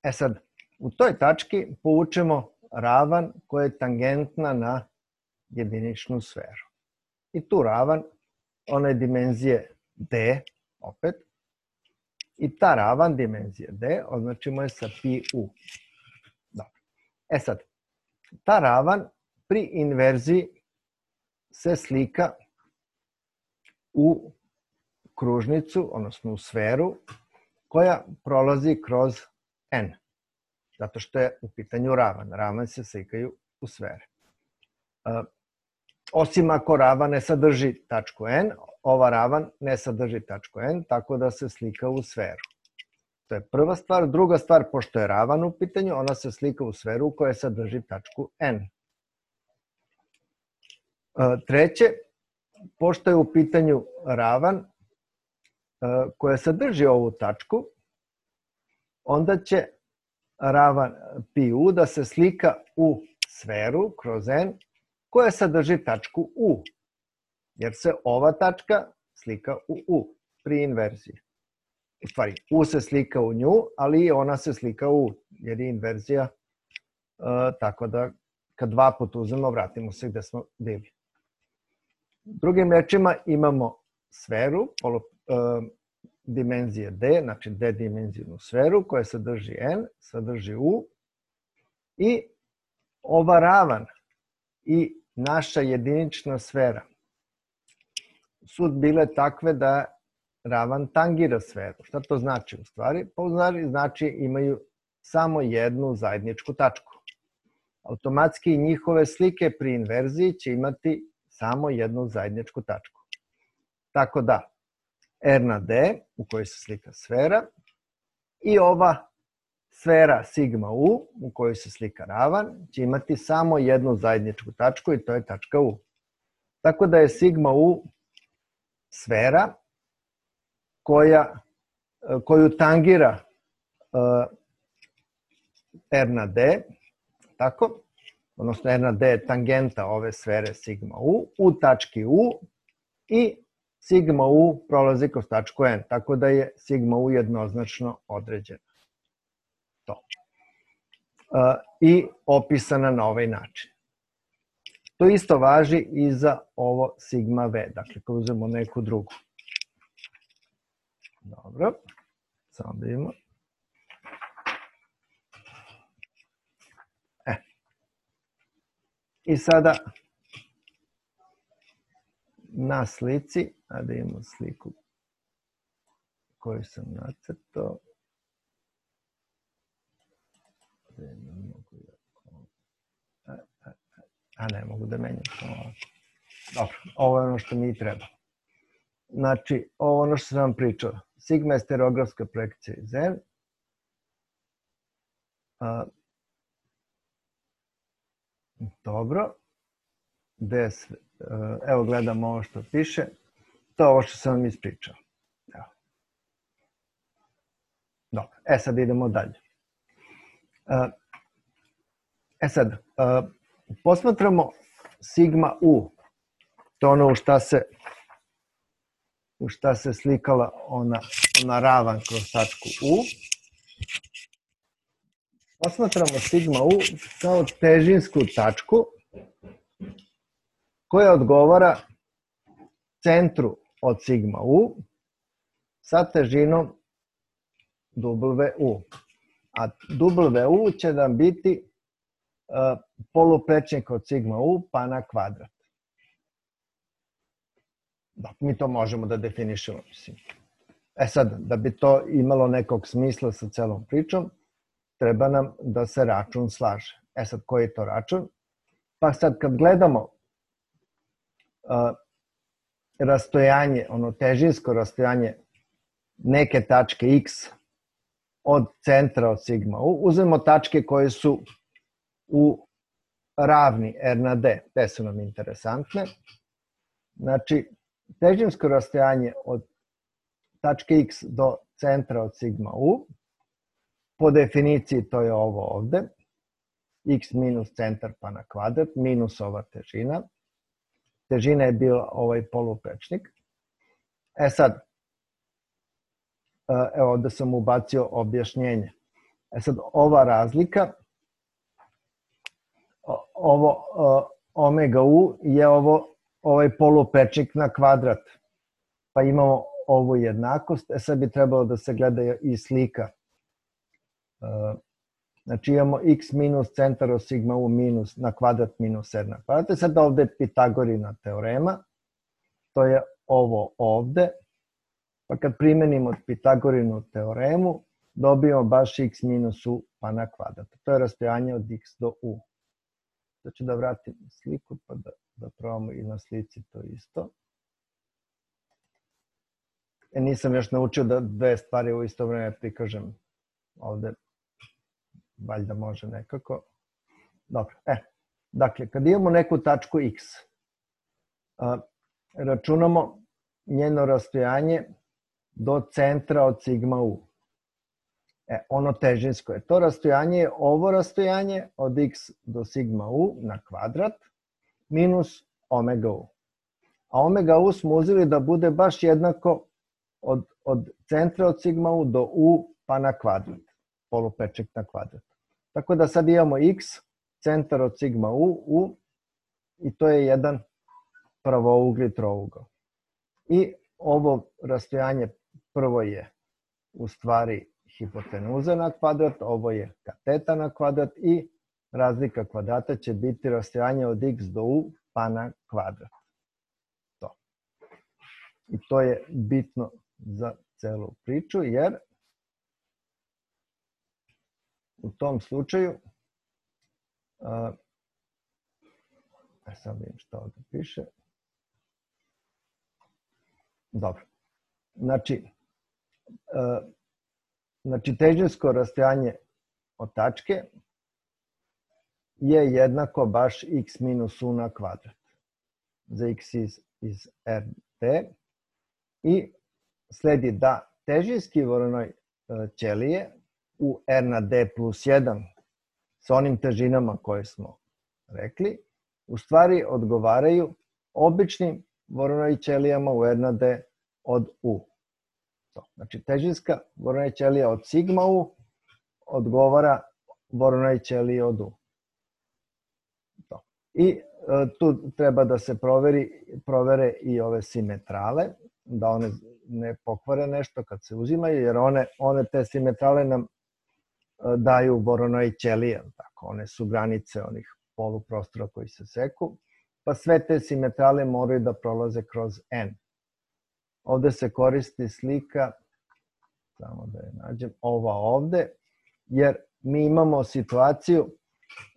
E sad, u toj tački povučemo ravan koja je tangentna na jediničnu sferu. I tu ravan, ona je dimenzije D, opet, i ta ravan dimenzije D označimo je sa pi U. Dobro. E sad, ta ravan pri inverziji se slika u kružnicu, odnosno u sferu, koja prolazi kroz N. Zato što je u pitanju ravan. Ravan se slikaju u sfere. Osim ako ravan ne sadrži tačku N, ova ravan ne sadrži tačku N, tako da se slika u sferu. To je prva stvar. Druga stvar, pošto je ravan u pitanju, ona se slika u sferu koja sadrži tačku N. Treće, pošto je u pitanju ravan koja sadrži ovu tačku, onda će ravan pi U da se slika u sferu kroz N koja sadrži tačku U, jer se ova tačka slika u U pri inverziji. U stvari, U se slika u nju, ali i ona se slika u U, jer je inverzija, tako da kad dva puta uzmemo, vratimo se gde smo bili. Drugim rečima imamo sferu, dimenzije D, znači D dimenzijnu sferu koja sadrži N, sadrži U i ova ravan i naša jedinična sfera su bile takve da ravan tangira sferu. Šta to znači u stvari? Pa u stvari znači imaju samo jednu zajedničku tačku. Automatski njihove slike pri inverziji će imati samo jednu zajedničku tačku. Tako da R na D, u kojoj se slika sfera, i ova sfera sigma U, u kojoj se slika ravan, će imati samo jednu zajedničku tačku i to je tačka U. Tako da je sigma U sfera koja, koju tangira R na D, tako? Odnosno R na D je tangenta ove sfere sigma U, u tački U i sigma U prolazi kroz tačku N, tako da je sigma U jednoznačno određena. To. I opisana na ovaj način. To isto važi i za ovo sigma V, dakle kad uzmemo neku drugu. Dobro, samo da vidimo. E. I sada na slici, a da imamo sliku koju sam nacrtao. A ne mogu da menjam. Dobro, ovo je ono što mi treba. Znači, ovo ono što sam vam pričao. Sigma je stereografska projekcija iz N. Dobro. Evo gledamo ovo što piše. To je ovo što sam vam ispričao. Dobro, e sad idemo dalje. E sad, posmatramo sigma U. To je ono u šta se u šta se slikala ona, ona ravan kroz tačku U. Posmatramo sigma U kao težinsku tačku koja odgovara centru od sigma U sa težinom W U. A W U će nam biti poluprečnik od sigma u pa na kvadrat. Da, mi to možemo da definišemo. Mislim. E sad, da bi to imalo nekog smisla sa celom pričom, treba nam da se račun slaže. E sad, koji je to račun? Pa sad kad gledamo uh, rastojanje, ono težinsko rastojanje neke tačke x od centra od sigma u, uzmemo tačke koje su u ravni R na D, te su nam interesantne. Znači, težinsko rastojanje od tačke x do centra od sigma u, po definiciji to je ovo ovde, x minus centar pa na kvadrat, minus ova težina. Težina je bila ovaj poluprečnik. E sad, evo ovde sam ubacio objašnjenje. E sad, ova razlika, ovo omega u je ovo, ovaj poluprečnik na kvadrat. Pa imamo ovu jednakost. E sad bi trebalo da se gleda i slika. Znači imamo x minus centar od sigma u minus na kvadrat minus r na kvadrat. E sad ovde je Pitagorina teorema. To je ovo ovde. Pa kad primenimo Pitagorinu teoremu, dobijemo baš x minus u pa na kvadrat. To je rastojanje od x do u. Znači da vratim sliku pa da, da probamo i na slici to isto. E, nisam još naučio da dve stvari u isto vreme prikažem ovde. Valjda može nekako. Dobro, e. Dakle, kad imamo neku tačku x, a, računamo njeno rastojanje do centra od sigma u. E, ono težinsko je. To rastojanje je ovo rastojanje od x do sigma u na kvadrat minus omega u. A omega u smo uzeli da bude baš jednako od, od centra od sigma u do u pa na kvadrat. Poluprečnik na kvadrat. Tako da sad imamo x, centar od sigma u, u i to je jedan pravougli trougao. I ovo rastojanje prvo je u stvari hipotenuza na kvadrat, ovo je kateta na kvadrat i razlika kvadrata će biti rastojanje od x do u pa na kvadrat. To. I to je bitno za celu priču jer u tom slučaju, uh, sad vidim što ovdje piše. Dobro. Znači, uh, znači težinsko rastojanje od tačke je jednako baš x minus u na kvadrat. Za x iz, iz R D. I sledi da težinski voronoj uh, ćelije u R na D plus jedan sa onim težinama koje smo rekli, u stvari odgovaraju običnim voronoj ćelijama u R na D od U. To. Znači, težinska voronoj ćelija od sigma U odgovara voronoj ćeliji od U. To. I e, tu treba da se proveri, provere i ove simetrale, da one ne pokvare nešto kad se uzimaju, jer one, one te simetrale nam daju voronoj ćelije, tako, one su granice onih poluprostora koji se seku, pa sve te simetrale moraju da prolaze kroz N. Ovde se koristi slika, samo da je nađem, ova ovde, jer mi imamo situaciju,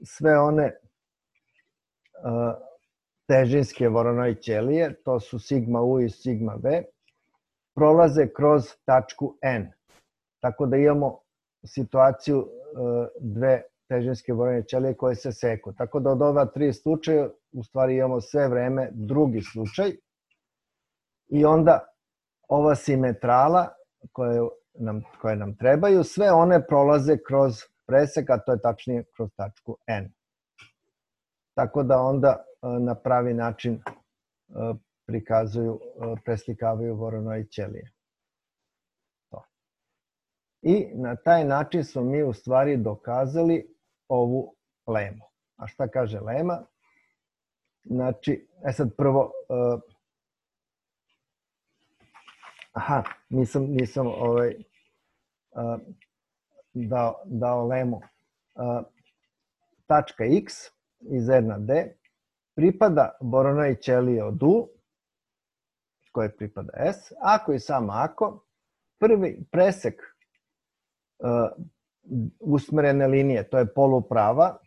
sve one uh, težinske voronoj ćelije, to su sigma U i sigma V, prolaze kroz tačku N. Tako da imamo situaciju uh, dve težinske voronoj ćelije koje se seku. Tako da od ova tri slučaja u stvari imamo sve vreme drugi slučaj i onda ova simetrala koje nam, koje nam trebaju, sve one prolaze kroz presek, a to je tačnije kroz tačku N. Tako da onda na pravi način prikazuju, preslikavaju voronoj ćelije. To. I na taj način smo mi u stvari dokazali ovu lemu. A šta kaže lema? Znači, e sad prvo, uh, aha, nisam, nisam ovaj, uh, dao, dao lemu. Uh, tačka x iz R na D pripada Voronoj ćeliji od U, koje pripada S, ako i samo ako prvi presek uh, usmerene linije, to je poluprava,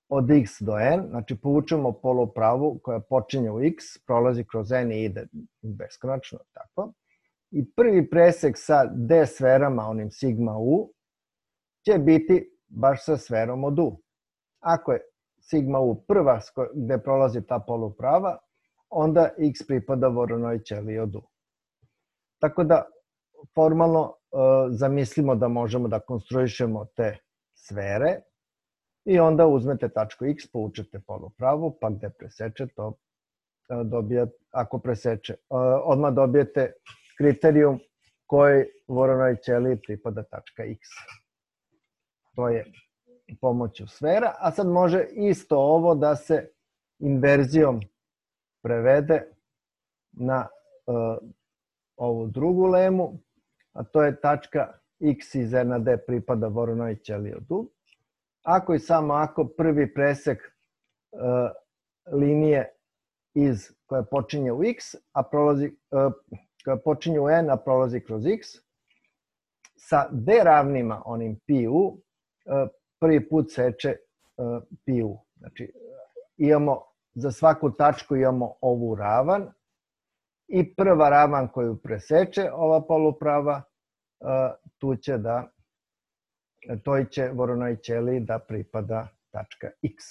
od x do n, znači povučemo polupravu koja počinje u x, prolazi kroz n i ide beskonačno, tako. I prvi presek sa D sferama, onim sigma U, će biti baš sa sferom od U. Ako je sigma U prva gde prolazi ta poluprava, onda x pripada Voronoj ćeliji od U. Tako da formalno uh, zamislimo da možemo da konstruišemo te sfere i onda uzmete tačku x, povučete polupravu, pa gde preseče to uh, dobijate, ako preseče, uh, odmah dobijete kriterijum koji Voronoj ćeliji pripada tačka x. To je pomoću sfera, a sad može isto ovo da se inverzijom prevede na uh, ovu drugu lemu, a to je tačka x iz R na D pripada Voronoj ćeliji od U. Ako i samo ako prvi presek uh, linije iz koja počinje u x, a prolazi, uh, koja počinje u n, a prolazi kroz x, sa D ravnima, onim pi u, uh, prvi put seče uh, pi u. Znači, imamo za svaku tačku imamo ovu ravan i prva ravan koju preseče ova poluprava, tu će da, toj će Voronoj ćeliji da pripada tačka x.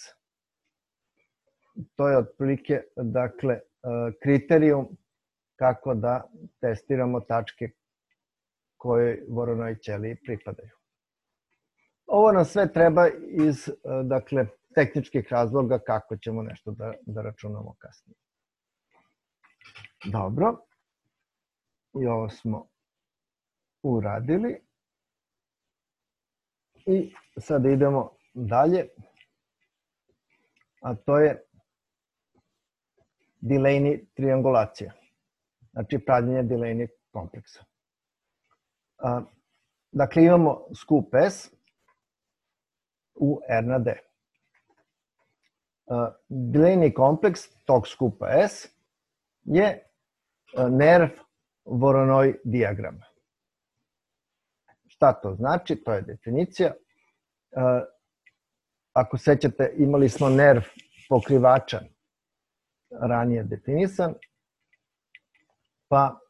To je otprilike, dakle, kriterijum kako da testiramo tačke koje Voronoj ćeliji pripadaju. Ovo nam sve treba iz, dakle, tehničkih razloga kako ćemo nešto da, da računamo kasnije. Dobro. I ovo smo uradili. I sad idemo dalje. A to je Delaney triangulacija. Znači pravljenje Delaney kompleksa. A, dakle, imamo skup S u R na D. Delaney kompleks tog skupa S je nerv Voronoj dijagrama. Šta to znači? To je definicija. Ako sećate, imali smo nerv pokrivača ranije definisan, pa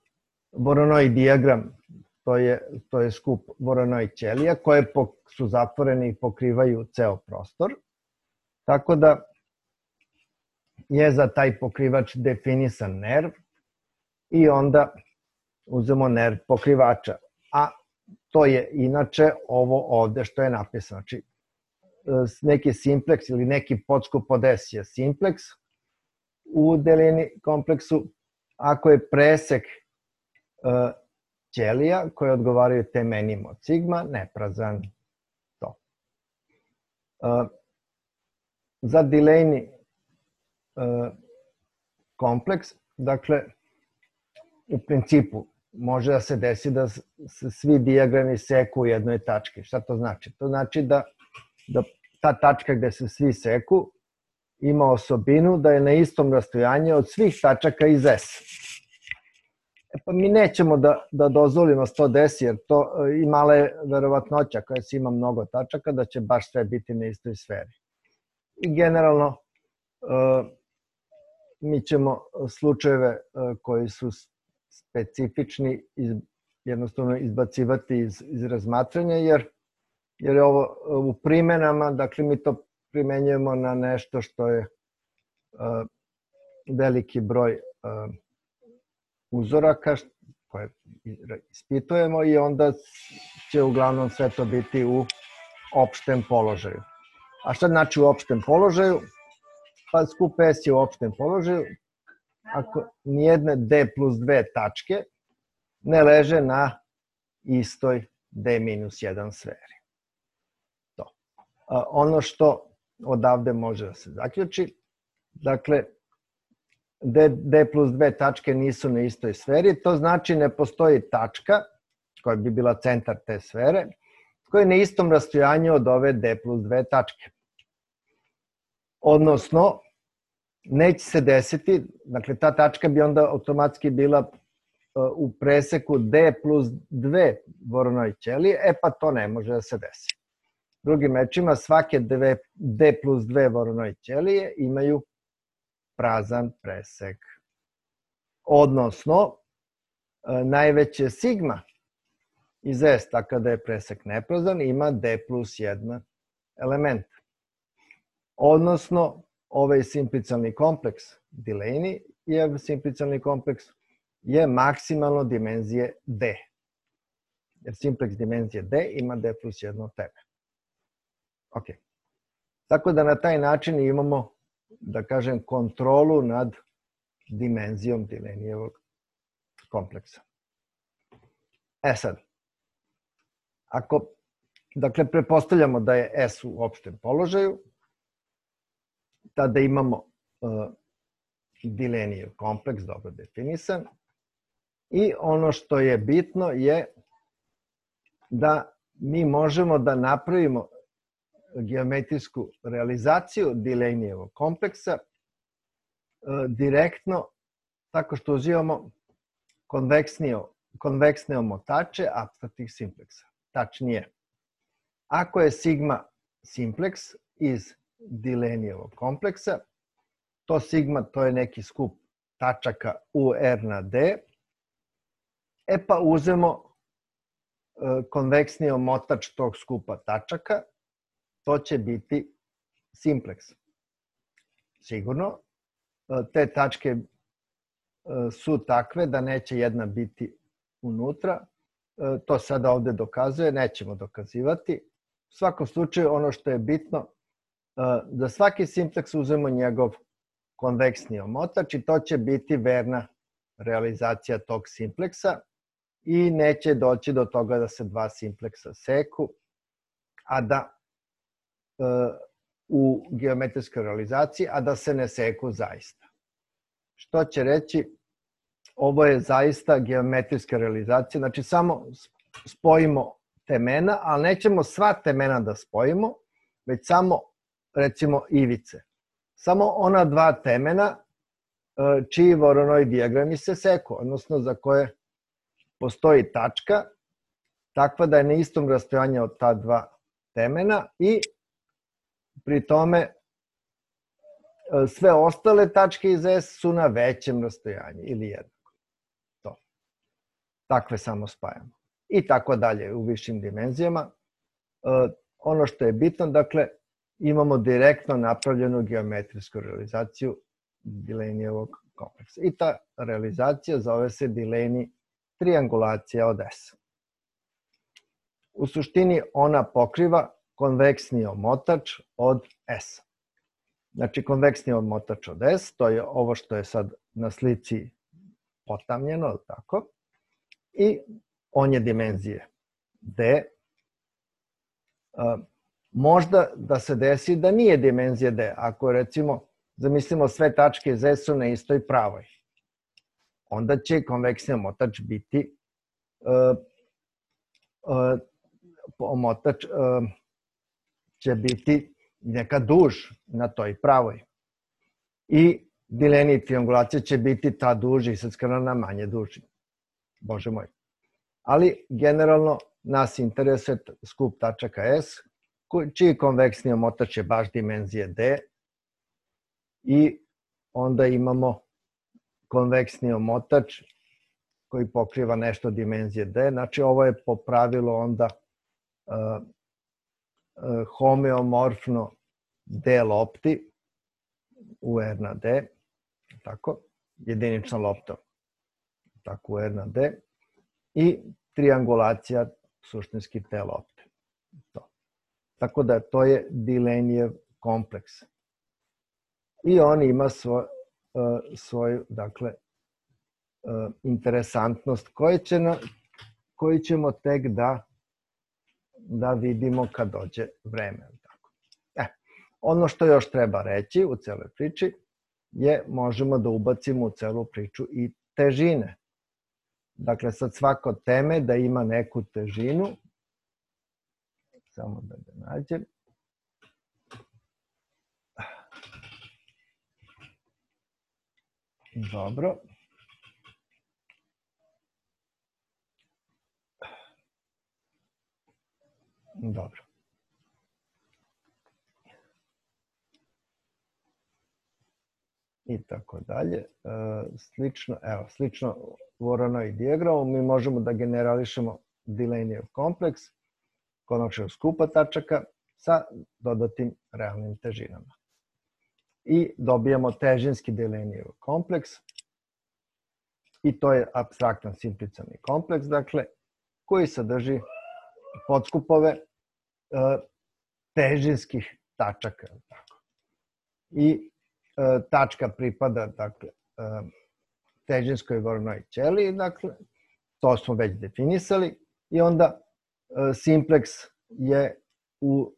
Voronoj dijagram, to je, to je skup Voronoj ćelija koje su zatvorene i pokrivaju ceo prostor. Tako da je za taj pokrivač definisan nerv i onda uzmemo nerv pokrivača. A to je inače ovo ovde što je napisano. Znači, neki simpleks ili neki podskup od S je simpleks u Delaney kompleksu. Ako je presek uh, ćelija koje odgovaraju temenim od sigma, neprazan. To. Uh, za Delaney uh, kompleks, dakle, u principu može da se desi da se svi dijagrami seku u jednoj tački. Šta to znači? To znači da, da ta tačka gde se svi seku ima osobinu da je na istom rastojanju od svih tačaka iz S. E pa mi nećemo da, da dozvolimo se to desi, jer to i mala je verovatnoća koja se ima mnogo tačaka da će baš sve biti na istoj sferi. I generalno uh, mi ćemo slučajeve uh, koji su specifični iz, jednostavno izbacivati iz, iz razmatranja, jer, jer je ovo u primenama, dakle mi to primenjujemo na nešto što je uh, veliki broj uh, uzoraka koje ispitujemo i onda će uglavnom sve to biti u opštem položaju. A šta znači u opštem položaju? Pa skup S je u opštem položaju ako nijedne D plus dve tačke ne leže na istoj D minus jedan sferi. To. Ono što odavde može da se zaključi, dakle, D, D plus dve tačke nisu na istoj sferi, to znači ne postoji tačka, koja bi bila centar te sfere, koja je na istom rastojanju od ove D plus dve tačke. Odnosno, neće se desiti, dakle ta tačka bi onda automatski bila u preseku D plus dve Voronoj ćelije, e pa to ne može da se desi. Drugim rečima, svake D plus dve Voronoj ćelije imaju prazan presek. Odnosno, najveće sigma iz S, tako da je presek neprazan, ima D plus jedan element. Odnosno, ovaj simplicijalni kompleks Delaney je simplicijalni kompleks je maksimalno dimenzije D. Jer simpleks dimenzije D ima D plus jedno teme. Ok. Tako da na taj način imamo, da kažem, kontrolu nad dimenzijom Delaneyjevog kompleksa. E sad, ako, dakle, pretpostavljamo da je S u opštem položaju, tada imamo uh, Delaneyjev kompleks dobro definisan i ono što je bitno je da mi možemo da napravimo geometrijsku realizaciju Delaneyjevog kompleksa uh, direktno tako što uzimamo konveksne omotače apstraktnih simpleksa. Tačnije, ako je sigma simpleks iz Delaneyjevog kompleksa, to sigma to je neki skup tačaka u R na D, e pa uzmemo konveksni omotač tog skupa tačaka, to će biti simpleks. Sigurno, te tačke su takve da neće jedna biti unutra, to sada ovde dokazuje, nećemo dokazivati. U svakom slučaju, ono što je bitno, da svaki simpleks uzmemo njegov konveksni omotač i to će biti verna realizacija tog simpleksa i neće doći do toga da se dva simpleksa seku, a da u geometrijskoj realizaciji, a da se ne seku zaista. Što će reći, ovo je zaista geometrijska realizacija, znači samo spojimo temena, ali nećemo sva temena da spojimo, već samo, recimo, ivice. Samo ona dva temena čiji Voronoj dijagrami se seku, odnosno za koje postoji tačka, takva da je na istom rastojanju od ta dva temena i pri tome sve ostale tačke iz S su na većem rastojanju ili jednako. To. Takve samo spajamo. I tako dalje u višim dimenzijama. Ono što je bitno, dakle, imamo direktno napravljenu geometrijsku realizaciju Delaneyjevog kompleksa. I ta realizacija zove se Delaney triangulacija od S. U suštini ona pokriva konveksni omotač od S. Znači, konveksni omotač od S, to je ovo što je sad na slici potamnjeno, tako, i on je dimenzije D. Možda da se desi da nije dimenzija D, ako recimo zamislimo sve tačke iz S-u na istoj pravoj. Onda će konveksni omotač biti omotač će biti neka duž na toj pravoj. I Delaney triangulacija će biti ta duž isackana na manje duži. Bože moj. Ali generalno nas interesuje skup tačaka S, čiji konveksni omotač je baš dimenzije D i onda imamo konveksni omotač koji pokriva nešto dimenzije D. Znači ovo je po pravilu onda uh, uh, homeomorfno D lopti u R na D, tako, jedinična lopta tako u R na D i triangulacija suštinski te lopte. To. Tako da to je Delaneyjev kompleks. I on ima svoj, uh, svoju, dakle, uh, interesantnost koju, će na, koju ćemo tek da, da vidimo kad dođe vreme. Tako. E, ono što još treba reći u celoj priči je možemo da ubacimo u celu priču i težine. Dakle, sad svako teme da ima neku težinu. Samo da ga nađem. Dobro. Dobro. I tako dalje. Slično, evo, slično Voronoj dijagramu mi možemo da generališemo Delaneyjev kompleks konačnog skupa tačaka sa dodatim realnim težinama. I dobijamo težinski Delaneyjev kompleks i to je apstraktan simplicijalni kompleks, dakle, koji sadrži podskupove težinskih tačaka. I tačka pripada, dakle, težinskoj Voronoj ćeliji, dakle, to smo već definisali, i onda simpleks je u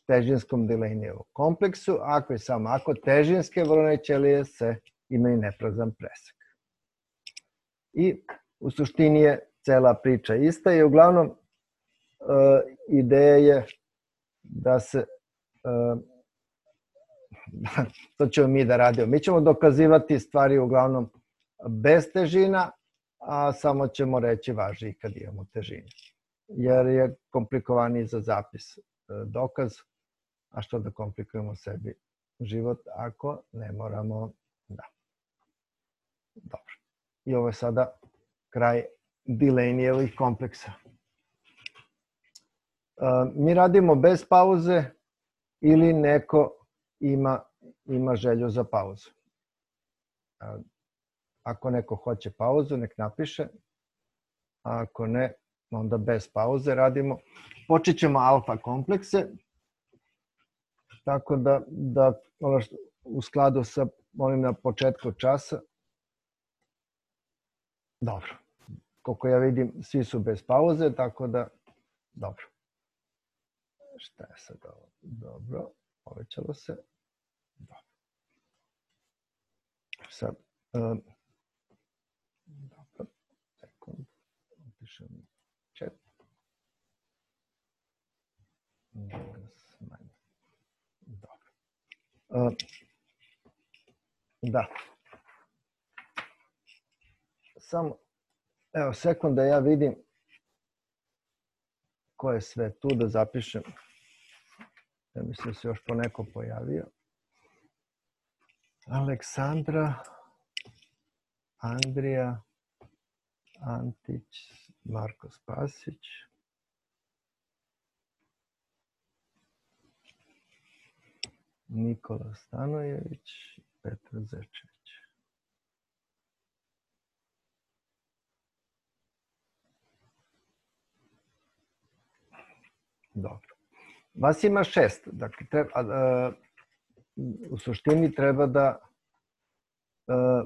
težinskom Delaneyjevom kompleksu, ako i samo ako težinske Voronoj ćelije se imaju neprazan presek. I u suštini je cela priča ista i uglavnom ideja je da se, to ćemo mi da radimo. Mi ćemo dokazivati stvari uglavnom bez težina, a samo ćemo reći važi kad imamo težine. Jer je komplikovaniji za zapis dokaz, a što da komplikujemo sebi život ako ne moramo, da. Dobro. I ovo je sada kraj Delaneyjevih kompleksa. Mi radimo bez pauze ili neko ima, ima želju za pauzu. Ako neko hoće pauzu, nek napiše. A ako ne, onda bez pauze radimo. Počet ćemo alfa komplekse. Tako da, da ono što, u skladu sa onim na početku časa. Dobro. Koliko ja vidim, svi su bez pauze, tako da, dobro. Šta je sad ovo? Dobro, povećalo se. Dobro. Sad, um, dobro, sekund, opišem chat. Dobro. Um, da. Samo, evo, sekund da ja vidim ko je sve tu, da zapišem. Ja mislim da se još poneko pojavio. Aleksandra, Andrija, Antić, Marko Spasić. Nikola Stanojević, Petar Zečević. Dobro. Vas ima šest. Dakle, treba, a, u suštini treba da a,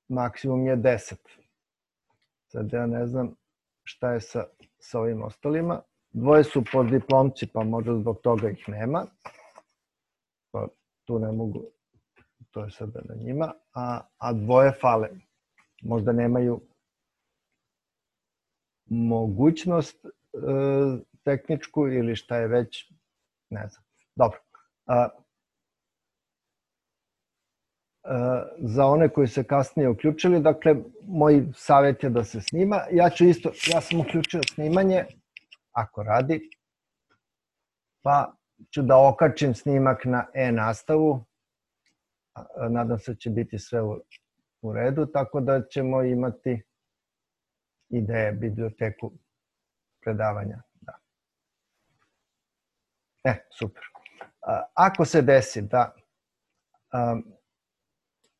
maksimum je deset. Sad ja ne znam šta je sa, sa ovim ostalima. Dvoje su postdiplomci, pa možda zbog toga ih nema. Pa tu ne mogu, to je sada na njima. A, a dvoje fale. Možda nemaju mogućnost a, tehničku ili šta je već, ne znam. Dobro. A, a, za one koji se kasnije uključili, dakle, moj savjet je da se snima. Ja ću isto, ja sam uključio snimanje, ako radi, pa ću da okačim snimak na e-nastavu. Nadam se da će biti sve u, u redu, tako da ćemo imati ideje, biblioteku predavanja. E, super. Ako se desi da,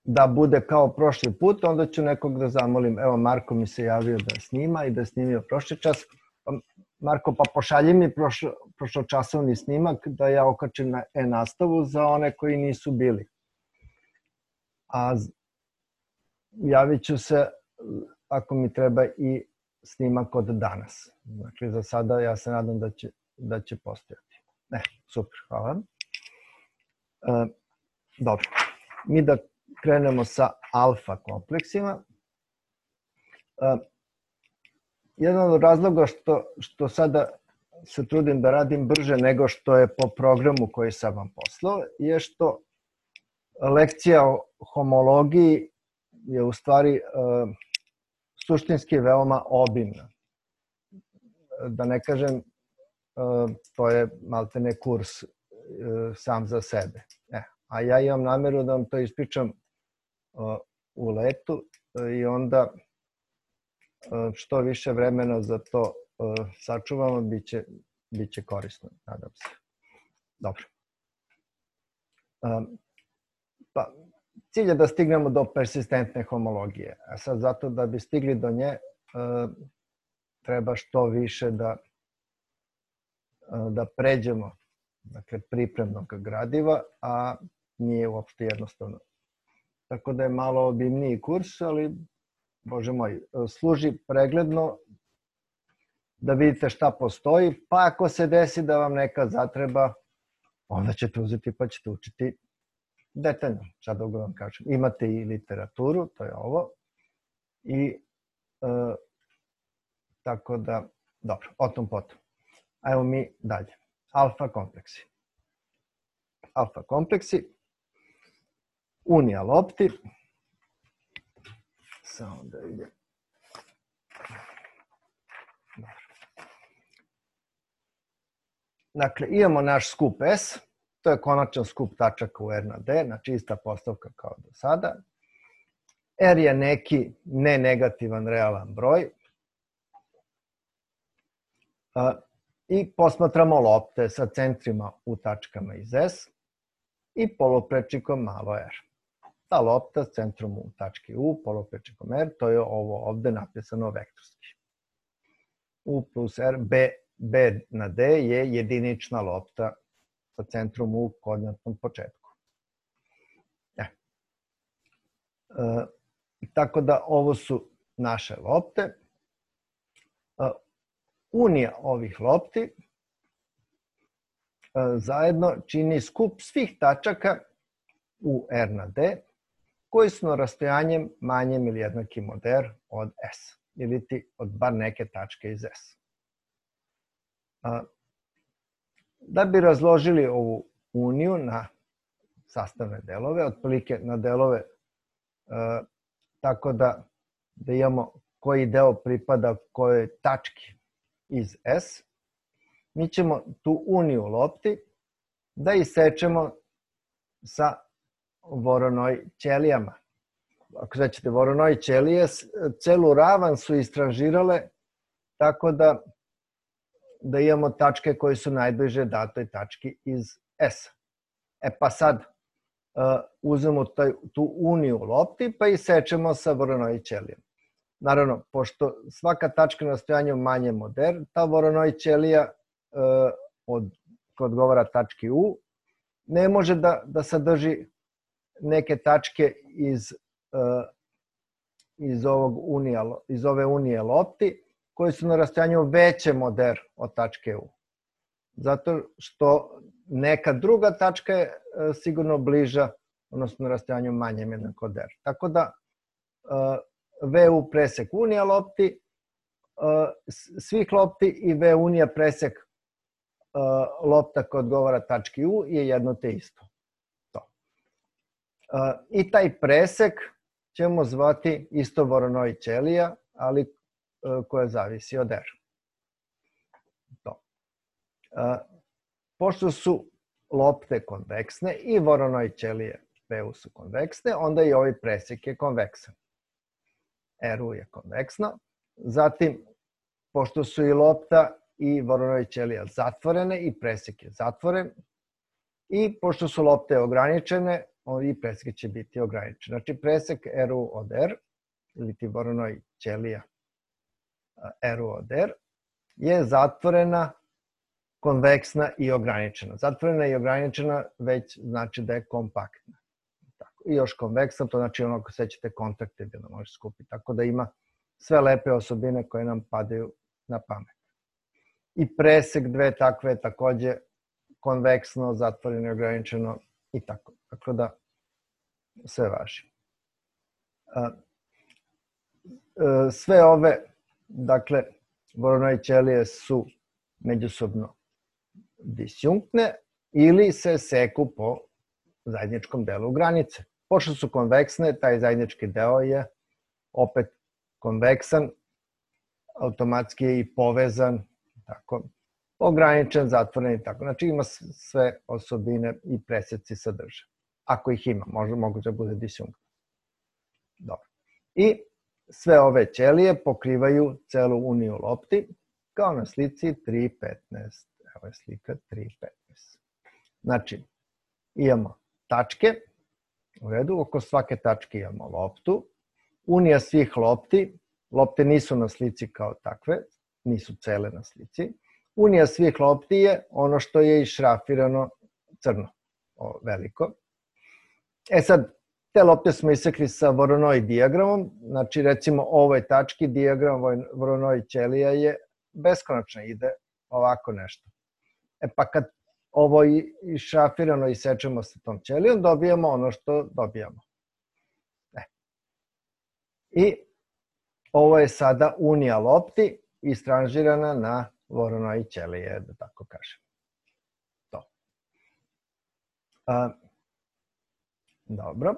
da bude kao prošli put, onda ću nekog da zamolim. Evo, Marko mi se javio da snima i da je snimio prošli čas. Marko, pa pošalji mi prošlo, prošločasovni snimak da ja okačim na e-nastavu za one koji nisu bili. A javit ću se ako mi treba i snimak od danas. Dakle, za sada ja se nadam da će, da će postojati. Ne, super, hvala. E, dobro, mi da krenemo sa alfa kompleksima. E, jedan od razloga što, što sada se trudim da radim brže nego što je po programu koji sam vam poslao, je što lekcija o homologiji je u stvari suštinski veoma obimna. Da ne kažem, to je maltene kurs sam za sebe. A ja imam nameru da vam to ispričam u letu i onda što više vremena za to sačuvamo, bit će korisno, nadam se. Dobro. Pa, cilj je da stignemo do persistentne homologije. A sad zato da bi stigli do nje, treba što više da, da pređemo, dakle, pripremnog gradiva, a nije uopšte jednostavno. Tako da je malo obimniji kurs, ali, bože moj, služi pregledno da vidite šta postoji, pa ako se desi da vam neka zatreba, onda ćete uzeti pa ćete učiti detaljno, šta da vam kažem. Imate i literaturu, to je ovo, i e, tako da, dobro, o tom potom. Ajmo mi dalje. Alfa kompleksi. Alfa kompleksi, unija lopti, samo da vidim. Dobro. Dakle, imamo naš skup S, to je konačan skup tačaka u R na D, znači ista postavka kao do sada. R je neki nenegativan realan broj. I posmatramo lopte sa centrima u tačkama iz S i poluprečnikom malo r. Ta lopta s centrom u tački U, poluprečnikom R, to je ovo ovde napisano vektorski. U plus R, B, B na D je jedinična lopta sa centrom u koordinatnom početku. E. E, tako da ovo su naše lopte. E, unija ovih lopti e, zajedno čini skup svih tačaka u R na D koji su na rastojanjem manjem ili jednakim od R od S ili ti od bar neke tačke iz S. E, Da bi razložili ovu uniju na sastavne delove, otprilike na delove e, tako da, da imamo koji deo pripada kojoj tački iz S, mi ćemo tu uniju lopti da isečemo sa Voronoj ćelijama. Ako sećate, Voronoj ćelije celu ravan su istražirale tako da da imamo tačke koje su najbliže datoj tački iz S. E pa sad uh, uzmemo taj, tu uniju lopti pa isečemo sa Voronoj ćelijom. Naravno, pošto svaka tačka na rastojanju manjem od R, ta Voronoj ćelija uh, od, koja odgovara tački U ne može da, da sadrži neke tačke iz, uh, iz, ovog unija, iz ove unije lopti koji su na rastojanju većem od R od tačke U. Zato što neka druga tačka je sigurno bliža, odnosno na rastojanju manjem jednako od R. Tako da V U presek unija lopti, svih lopti i V unija presek lopta koja odgovara tački U je jedno te isto. To. I taj presek ćemo zvati isto Voronoj ćelija, ali koja zavisi od R. To. Pošto su lopte konveksne i Voronoj ćelije V U su konveksne, onda i ovaj presek je konveksan. R U je konveksno. Zatim, pošto su i lopta i Voronoj ćelija zatvorene i presek je zatvoren, i pošto su lopte ograničene, i presek će biti ograničen. Znači, presek R U od R, ili ti Voronoj ćelija R U od R, je zatvorena, konveksna i ograničena. Zatvorena i ograničena već znači da je kompaktna. Tako. I još konveksna, to znači ono ko sećate kontaktibilno može skupiti. Tako da ima sve lepe osobine koje nam padaju na pamet. I presek dve takve je takođe konveksno, zatvoreno i ograničeno i tako. Tako da sve važi. Sve ove, dakle, Voronoj ćelije su međusobno disjunktne ili se seku po zajedničkom delu granice, pošto su konveksne, taj zajednički deo je opet konveksan, automatski je i povezan, tako, ograničen, zatvoren i tako. Znači ima sve osobine i preseci sadrže. Ako ih ima, možda moguće da bude disjunkt. Dobro. I sve ove ćelije pokrivaju celu uniju lopti, kao na slici tri petnaest. Evo je slika tri petnaest. Znači, imamo tačke, u redu, oko svake tačke imamo loptu, unija svih lopti, lopte nisu na slici kao takve, nisu cele na slici, unija svih lopti je ono što je išrafirano crno, o, veliko. E sad, te lopte smo isekli sa Voronoi dijagramom, znači recimo ovoj tački dijagram Voronoi ćelija je beskonačna, ide ovako nešto. E pa kad ovo išrafirano isečemo sa tom ćelijom, dobijamo ono što dobijamo. E. I ovo je sada unija lopti istranžirana na Voronoi ćelije, da tako kažem. To. A, dobro.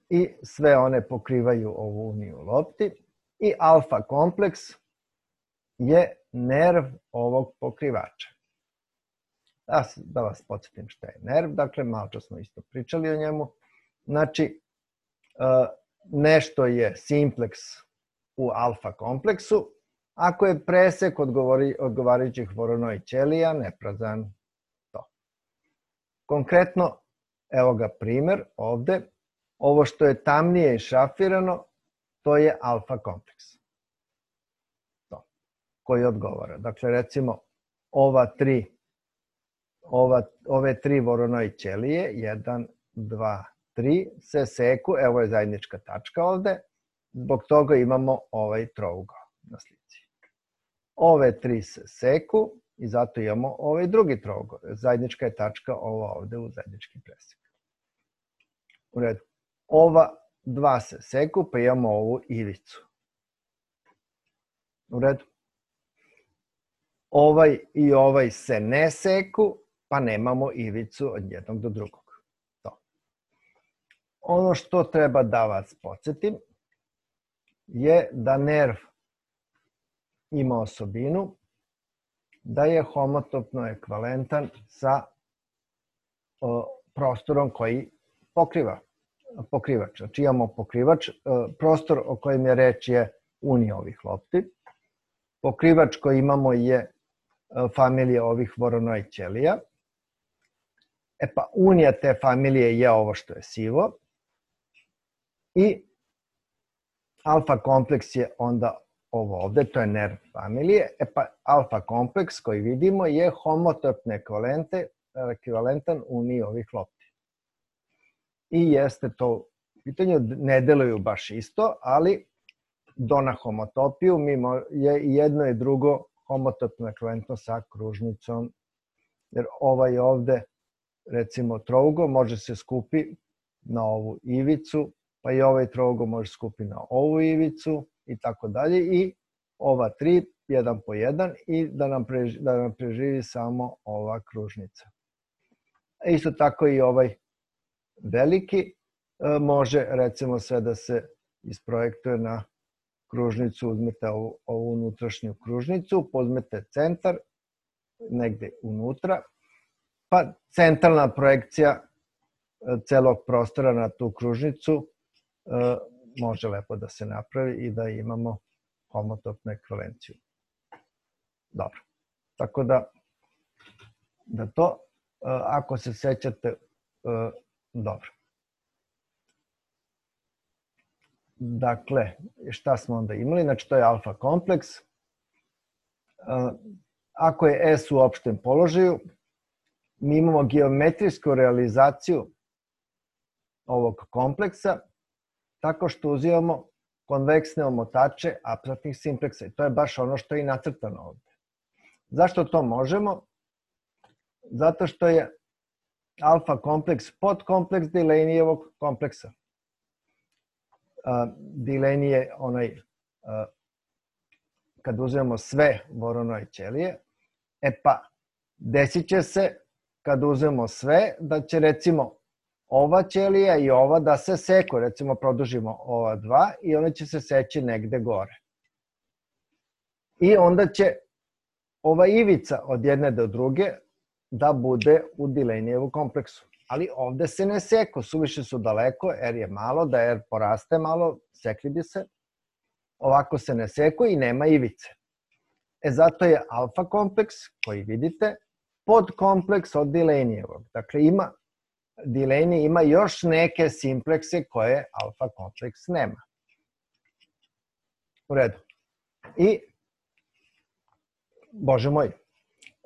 I sve one pokrivaju ovu uniju lopti. I alfa kompleks je nerv ovog pokrivača. Da, da vas podsjetim šta je nerv, dakle malo čas smo isto pričali o njemu. Znači, nešto je simpleks u alfa kompleksu, ako je presek odgovarajućih Voronoi ćelija neprazan. To. Konkretno, evo ga primer ovde, ovo što je tamnije išrafirano, to je alfa kompleks. To. Koji odgovara. Dakle, recimo, ova tri, ova, ove tri Voronoi ćelije, jedan, dva, tri, se seku, evo je zajednička tačka ovde, zbog toga imamo ovaj trougao na slici. Ove tri se seku i zato imamo ovaj drugi trougao. Zajednička je tačka ova ovde u zajednički presek. U redu. Ova dva se seku, pa imamo ovu ivicu. U redu. Ovaj i ovaj se ne seku, pa nemamo ivicu od jednog do drugog. To. Ono što treba da vas podsjetim je da nerv ima osobinu da je homotopno ekvivalentan sa o, prostorom koji pokriva pokrivač. Znači imamo pokrivač, prostor o kojem je reč je unija ovih lopti. Pokrivač koji imamo je familija ovih Voronoi ćelija. E pa unija te familije je ovo što je sivo. I alfa kompleks je onda ovo ovde, to je nerv familije. E pa alfa kompleks koji vidimo je homotopno ekvivalentan uniji ovih lopti. I jeste to pitanje, ne deluju baš isto, ali do na homotopiju je jedno i drugo homotopno ekvivalentno sa kružnicom. Jer ovaj ovde, recimo trougo, može se skupi na ovu ivicu, pa i ovaj trougo može skupi na ovu ivicu i tako dalje. I ova tri, jedan po jedan, i da nam, preživi, da nam preživi samo ova kružnica. Isto tako i ovaj veliki može, recimo, sve da se isprojektuje na kružnicu, uzmete ovu, ovu unutrašnju kružnicu, pozmete centar, negde unutra, pa centralna projekcija celog prostora na tu kružnicu može lepo da se napravi i da imamo homotopnu ekvivalenciju. Dobro. Tako da, da to, ako se sećate, dobro. Dakle, šta smo onda imali? Znači, to je alfa kompleks. Ako je S u opštem položaju, mi imamo geometrijsku realizaciju ovog kompleksa tako što uzimamo konveksne omotače apstraktnih simpleksa. I to je baš ono što je i nacrtano ovde. Zašto to možemo? Zato što je alfa kompleks podkompleks Delaneyevog kompleksa. Delaney je onaj, kad uzmemo sve Voronoi ćelije, e pa desit će se kad uzmemo sve, da će recimo ova ćelija i ova da se seku, recimo produžimo ova dva i one će se seći negde gore. I onda će ova ivica od jedne do druge da bude u Delaneyjevu kompleksu. Ali ovde se ne seku, suviše su daleko, R je malo, da R poraste malo, sekli bi se. Ovako se ne seku i nema ivice. E zato je alfa kompleks, koji vidite, podkompleks od Delaneyjevog. Dakle, ima, Delaney ima još neke simplekse koje alfa kompleks nema. U redu. I, bože moj,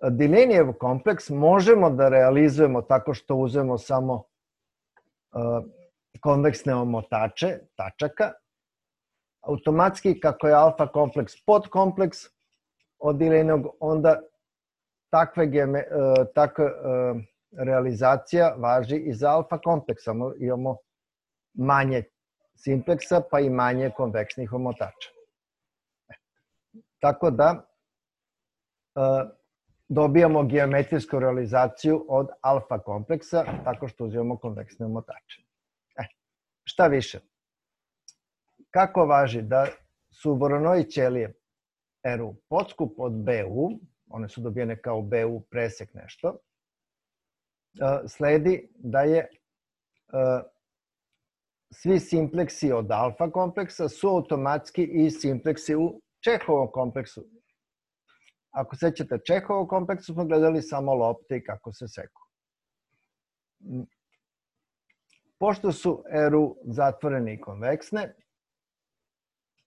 Delaneyjev kompleks možemo da realizujemo tako što uzmemo samo uh, konveksne omotače, tačaka. Automatski, kako je alfa kompleks podkompleks od Delaneyjevog, onda takve, geme, uh, takva uh, realizacija važi i za alfa kompleks. Samo imamo manje simpleksa, pa i manje konveksnih omotača. Tako da uh, dobijamo geometrijsku realizaciju od alfa kompleksa tako što uzimamo konveksne omotače. E, šta više? Kako važi da su Voronoi ćelije R U podskup od B U, one su dobijene kao B U presek nešto, sledi da je svi simpleksi od alfa kompleksa su automatski i simpleksi u Čehovom kompleksu. Ako sećate Čehovog kompleksu, smo gledali samo lopte i kako se seku. Pošto su R U zatvorene i konveksne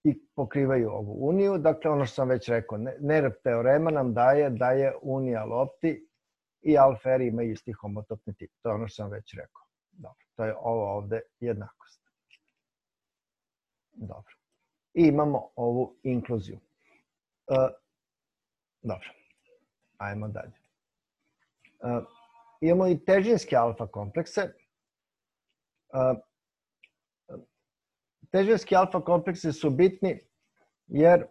i pokrivaju ovu uniju, dakle ono što sam već rekao, Nerv teorema nam daje da je unija lopti i alfa R imaju isti homotopni tip. To je ono što sam već rekao. Dobro, to je ovo ovde jednakost. Dobro. I imamo ovu inkluziju. Dobro, ajmo dalje. Uh, imamo i težinske alfa komplekse. Uh, težinski alfa kompleksi su bitni jer uh,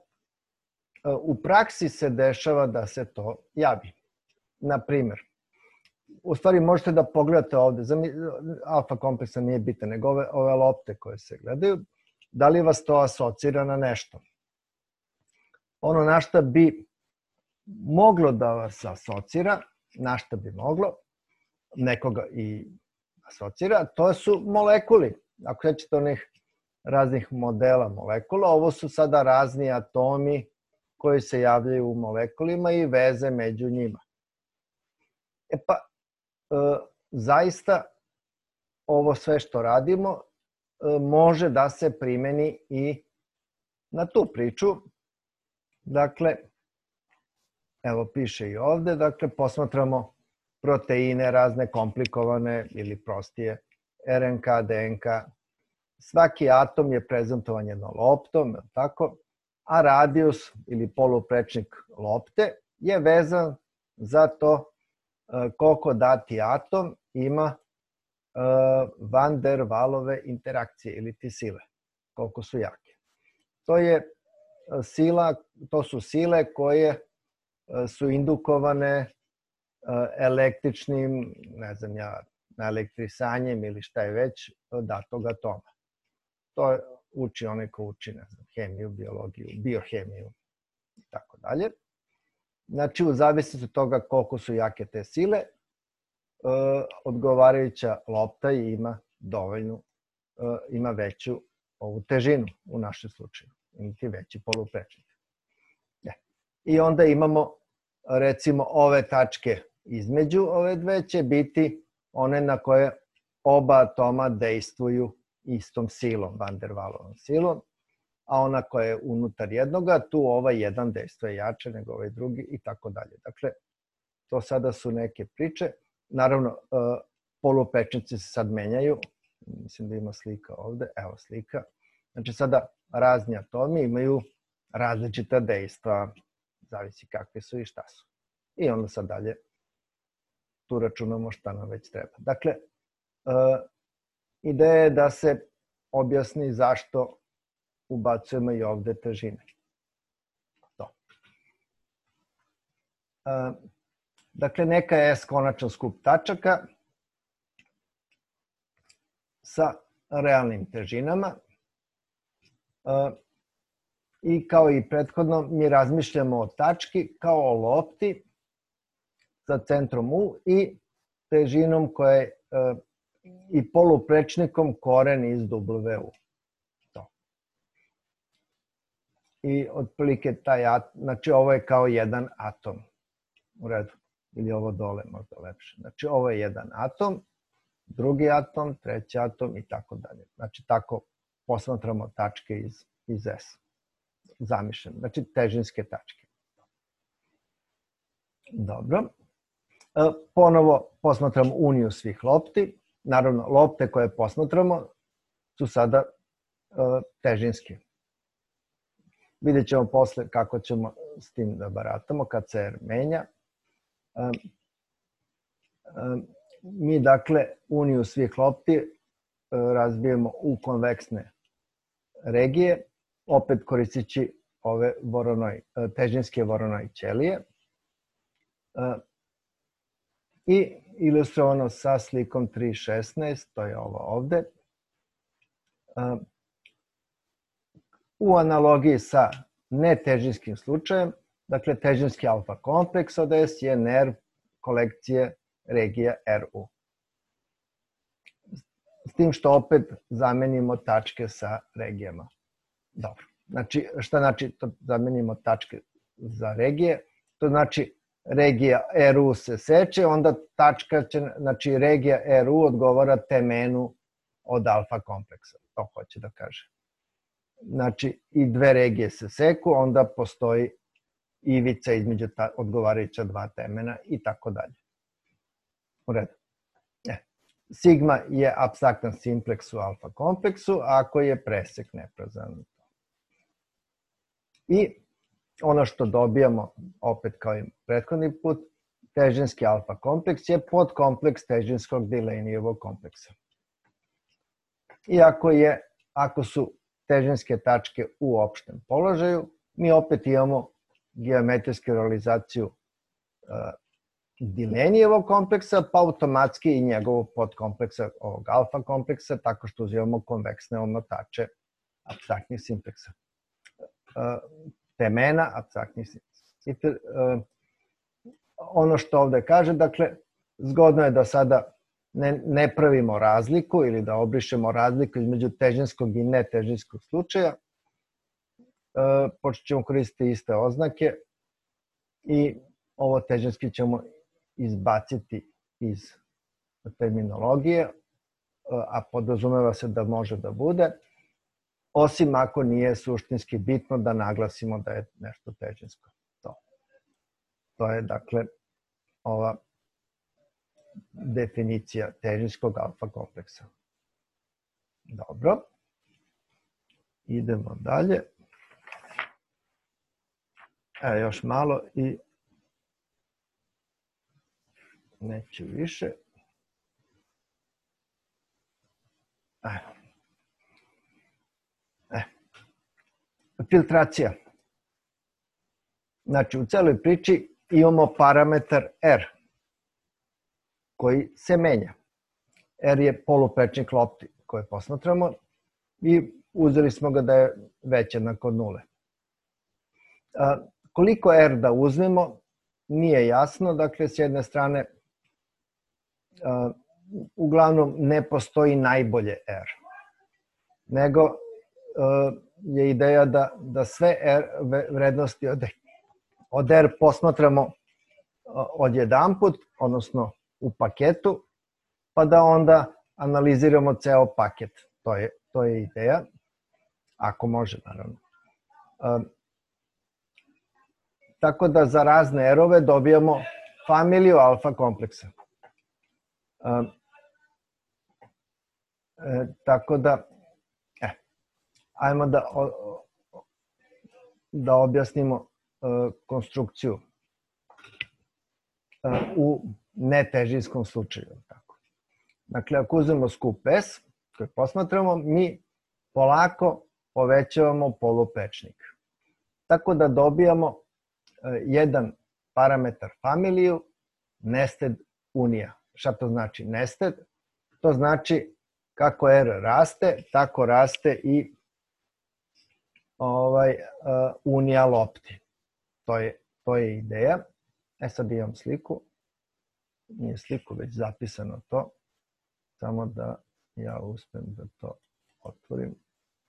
u praksi se dešava da se to javi. Naprimer, u stvari možete da pogledate ovde, alfa kompleksa nije bitan, nego ove, ove lopte koje se gledaju, da li vas to asocira na nešto. Ono na šta bi moglo da vas asocira, na šta bi moglo, nekoga i asocira, to su molekuli. Ako sećate onih raznih modela molekula, ovo su sada razni atomi koji se javljaju u molekulima i veze među njima. E pa, e, zaista ovo sve što radimo e, može da se primeni i na tu priču. Dakle, evo piše i ovde, dakle posmatramo proteine razne komplikovane ili prostije, R N K, D N K. Svaki atom je prezentovan jednom loptom, tako, a radijus ili poluprečnik lopte je vezan za to koliko dati atom ima van der Wahlove interakcije ili ti sile, koliko su jake. To je sila, to su sile koje su indukovane električnim, ne znam ja, naelektrisanjem ili šta je već datog atoma. To uči onaj ko uči, ne znam, hemiju, biologiju, biohemiju i tako dalje. Znači, u zavisnosti od toga koliko su jake te sile, odgovarajuća lopta ima dovoljnu, ima veću ovu težinu u našem slučaju, imati veći poluprečnik. I onda imamo, recimo, ove tačke između ove dve će biti one na koje oba atoma dejstvuju istom silom, van der Waalovom silom, a ona koja je unutar jednoga, tu ovaj jedan dejstvuje jače nego ovaj drugi i tako dalje. Dakle, to sada su neke priče. Naravno, poluprečnici se sad menjaju. Mislim da ima slika ovde. Evo slika. Znači, sada razni atomi imaju različita dejstva, zavisi kakve su i šta su. I onda sad dalje tu računamo šta nam već treba. Dakle, ideja je da se objasni zašto ubacujemo i ovde težine. To. Dakle, neka je S konačan skup tačaka sa realnim težinama i kao i prethodno mi razmišljamo o tački kao o lopti sa centrom U i težinom koja je i poluprečnikom koren iz W U. To. I otprilike taj atom, znači ovo je kao jedan atom. U redu. Ili ovo dole možda lepše. Znači ovo je jedan atom, drugi atom, treći atom i tako dalje. Znači tako posmatramo tačke iz, iz S. Zamišljeno. Znači težinske tačke. Dobro. E, ponovo posmatramo uniju svih lopti. Naravno, lopte koje posmatramo su sada e, težinske. Vidjet ćemo posle kako ćemo s tim da baratamo kad se R menja. E, e, mi dakle uniju svih lopti e, razbijemo u konveksne regije, opet koristeći ove voronoj, težinske voronoj ćelije. E, I ilustrovano sa slikom tri šesnaest, to je ovo ovde. U analogiji sa netežinskim slučajem, dakle težinski alfa kompleks od S je nerv kolekcije regija R U. S tim što opet zamenimo tačke sa regijama. Dobro. Znači, šta znači to zamenimo tačke za regije? To znači regija R U se seče, onda tačka će, znači regija R U odgovara temenu od alfa kompleksa. To hoće da kaže. Znači, i dve regije se seku, onda postoji ivica između ta, odgovarajuća dva temena i tako dalje. U redu. E. Sigma je apstraktan simpleks u alfa kompleksu, ako je presek neprazan. I ono što dobijamo, opet kao i prethodni put, težinski alfa kompleks je podkompleks težinskog Delaneyevog kompleksa. I ako, je, ako su težinske tačke u opštem položaju, mi opet imamo geometrijsku realizaciju uh, Delaneyevog kompleksa, pa automatski i njegovog podkompleksa, ovog alfa kompleksa, tako što uzimamo konveksne omotače apstraktnih simpleksa. Uh, temena apstraktnih simpleksa. Uh, ono što ovde kaže, dakle, zgodno je da sada ne, ne pravimo razliku ili da obrišemo razliku između težinskog i netežinskog slučaja. Uh, počet ćemo koristiti iste oznake i ovo težinski ćemo izbaciti iz terminologije, a podrazumeva se da može da bude, osim ako nije suštinski bitno da naglasimo da je nešto težinsko. To, to je, dakle, ova definicija težinskog alfa kompleksa. Dobro. Idemo dalje. E, još malo i neću više. E. E. Filtracija. Znači, u celoj priči imamo parametar R koji se menja. R je poluprečnik lopti koje posmatramo i uzeli smo ga da je već jednako od nule. A, koliko R da uzmemo, nije jasno. Dakle, s jedne strane, a, uglavnom ne postoji najbolje R, nego a, je ideja da, da sve R vrednosti od, od R posmatramo odjedanput, odnosno u paketu, pa da onda analiziramo ceo paket. To je, to je ideja, ako može, naravno. A, tako da za razne R-ove dobijamo familiju alfa kompleksa. A, e, tako da, e, ajmo da, o, da objasnimo e, konstrukciju e, u netežinskom slučaju. Tako. Dakle, ako uzmemo skup S, koji posmatramo, mi polako povećavamo poluprečnik. Tako da dobijamo jedan parametar familiju nested unija. Šta to znači nested? To znači kako R raste, tako raste i ovaj, uh, unija lopti. To je, to je ideja. E sad imam sliku. Nije sliku, već zapisano to. Samo da ja uspem da to otvorim.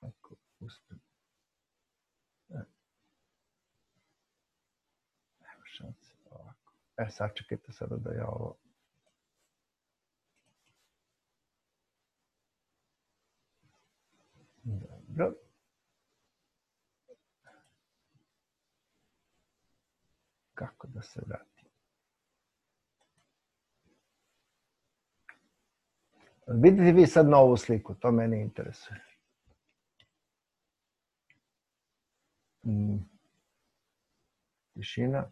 Ako uspem. E. Nema šanse ovako. E, sačekajte sada da ja ovo... Dobro. Kako da se vratim? Vidite vi sad na ovu sliku, to mene interesuje. Hmm. Tišina.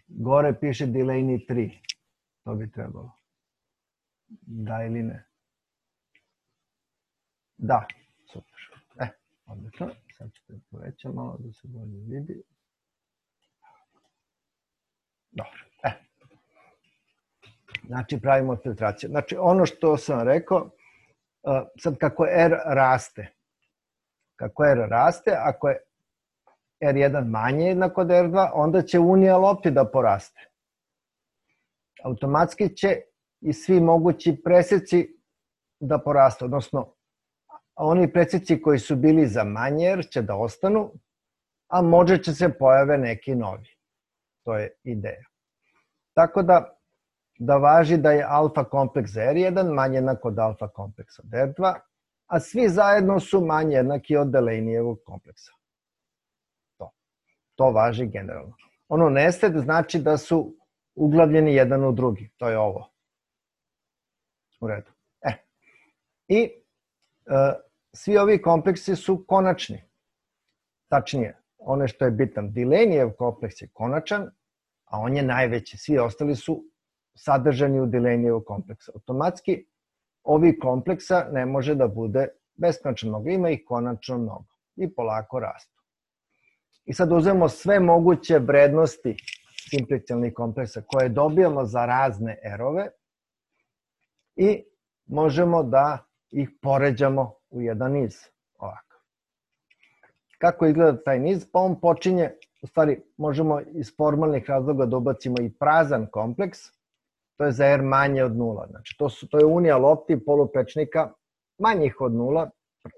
Gore piše Delaney tri. To bi trebalo. Da ili ne? Da, super. E, odlično. Sad ću te povećam malo da se bolje vidi. Dobro, e. Znači, pravimo filtraciju. Znači, ono što sam rekao, sad kako R raste, kako R raste, ako je R jedan manje jednak od R dva, onda će unija lopti da poraste. Automatski će i svi mogući preseci da poraste, odnosno oni preseci koji su bili za manje R će da ostanu, a možda će se pojave neki novi. To je ideja. Tako da, da važi da je alfa kompleks za R jedan manje jednak od alfa kompleksa od R dva, a svi zajedno su manje jednaki od Delaneyjevog kompleksa. To. To važi generalno. Ono nested znači da su uglavljeni jedan u drugi. To je ovo. U redu. E. I e, svi ovi kompleksi su konačni. Tačnije, ono što je bitan, Delaneyjev kompleks je konačan, a on je najveći. Svi ostali su sadržani u Delaneyjev kompleksa. Automatski, ovi kompleksa ne može da bude beskonačno mnogo. Ima ih konačno mnogo. I polako rastu. I sad uzmemo sve moguće vrednosti simplicijalnih kompleksa koje dobijamo za razne R-ove i možemo da ih poređamo u jedan niz. Ovako. Kako izgleda taj niz? Pa on počinje, u stvari možemo iz formalnih razloga da ubacimo i prazan kompleks, to je za R manje od nula. Znači to, su, to je unija lopti poluprečnika manjih od nula,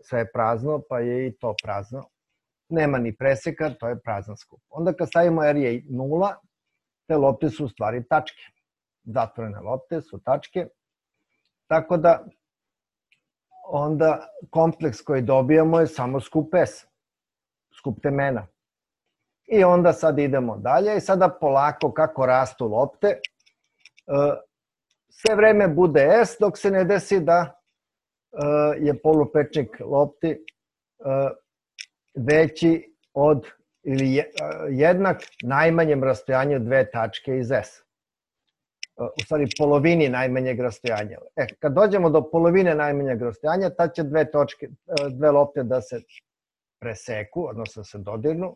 sve je prazno, pa je i to prazno. Nema ni preseka, to je prazan skup. Onda kad stavimo R je nula, te lopte su u stvari tačke. Zatvorene lopte su tačke. Tako da onda kompleks koji dobijamo je samo skup S, skup temena. I onda sad idemo dalje i sada polako kako rastu lopte, sve vreme bude S dok se ne desi da je poluprečnik lopti veći od ili jednak najmanjem rastojanju dve tačke iz S. U stvari polovini najmanjeg rastojanja. E, kad dođemo do polovine najmanjeg rastojanja, tad će dve, točke, dve lopte da se preseku, odnosno se dodirnu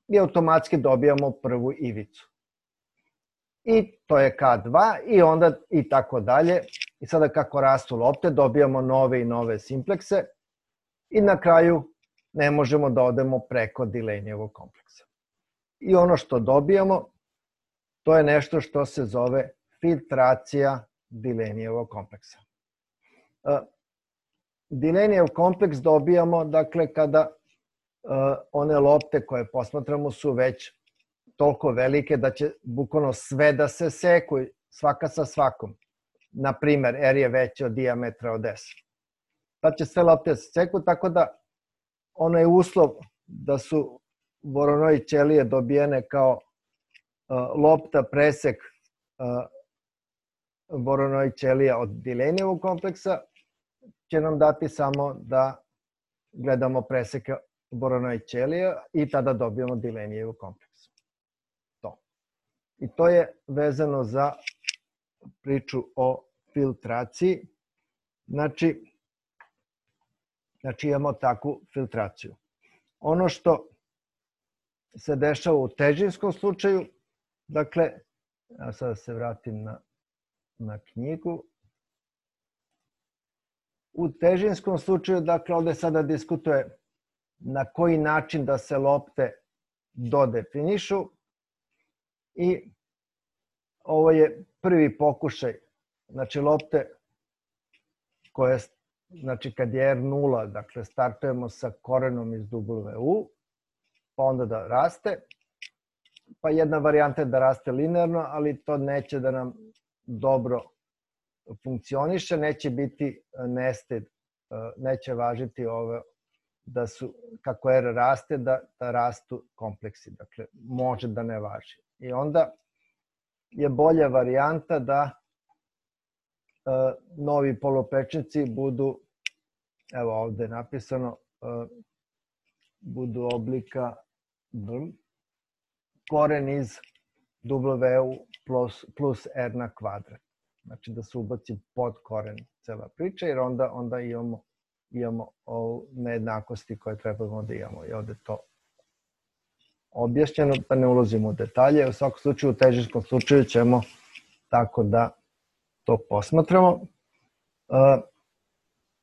i automatski dobijamo prvu ivicu. I to je K dva i onda i tako dalje. I sada kako rastu lopte, dobijamo nove i nove simplekse i na kraju ne možemo da odemo preko Delaneyjevog kompleksa. I ono što dobijamo, to je nešto što se zove filtracija Delaneyjevog kompleksa. Delaneyjev kompleks dobijamo, dakle, kada one lopte koje posmatramo su već toliko velike da će bukvalno sve da se seku, svaka sa svakom. Naprimer, R je veći od dijametra od S. Tad će sve lopte da se seku, tako da ono je uslov da su Voronoi ćelije dobijene kao lopta presek Voronoi ćelija od Delaneyjevog kompleksa, će nam dati samo da gledamo preseke Voronoi ćelija i tada dobijemo Delaneyjev kompleks. To. I to je vezano za priču o filtraciji. Znači, znači imamo takvu filtraciju. Ono što se dešava u težinskom slučaju, dakle, ja sada se vratim na na knjigu. U težinskom slučaju, dakle, ovde sada diskutuje na koji način da se lopte dodefinišu i ovo je prvi pokušaj, znači lopte koje, znači kad je R nula, dakle startujemo sa korenom iz W U, pa onda da raste, pa jedna varijanta je da raste linearno, ali to neće da nam dobro funkcioniše, neće biti nested, neće važiti ovo da su, kako R raste, da, da rastu kompleksi, dakle može da ne važi. I onda je bolja varijanta da e, novi poluprečnici budu, evo ovde je napisano, e, budu oblika v, koren iz W U plus, plus R na kvadrat. Znači da se ubaci pod koren cela priča, jer onda, onda imamo, imamo nejednakosti koje trebamo da imamo. I ovde to objašnjeno, pa ne ulazimo u detalje. U svakom slučaju, u težinskom slučaju ćemo tako da to posmatramo. E,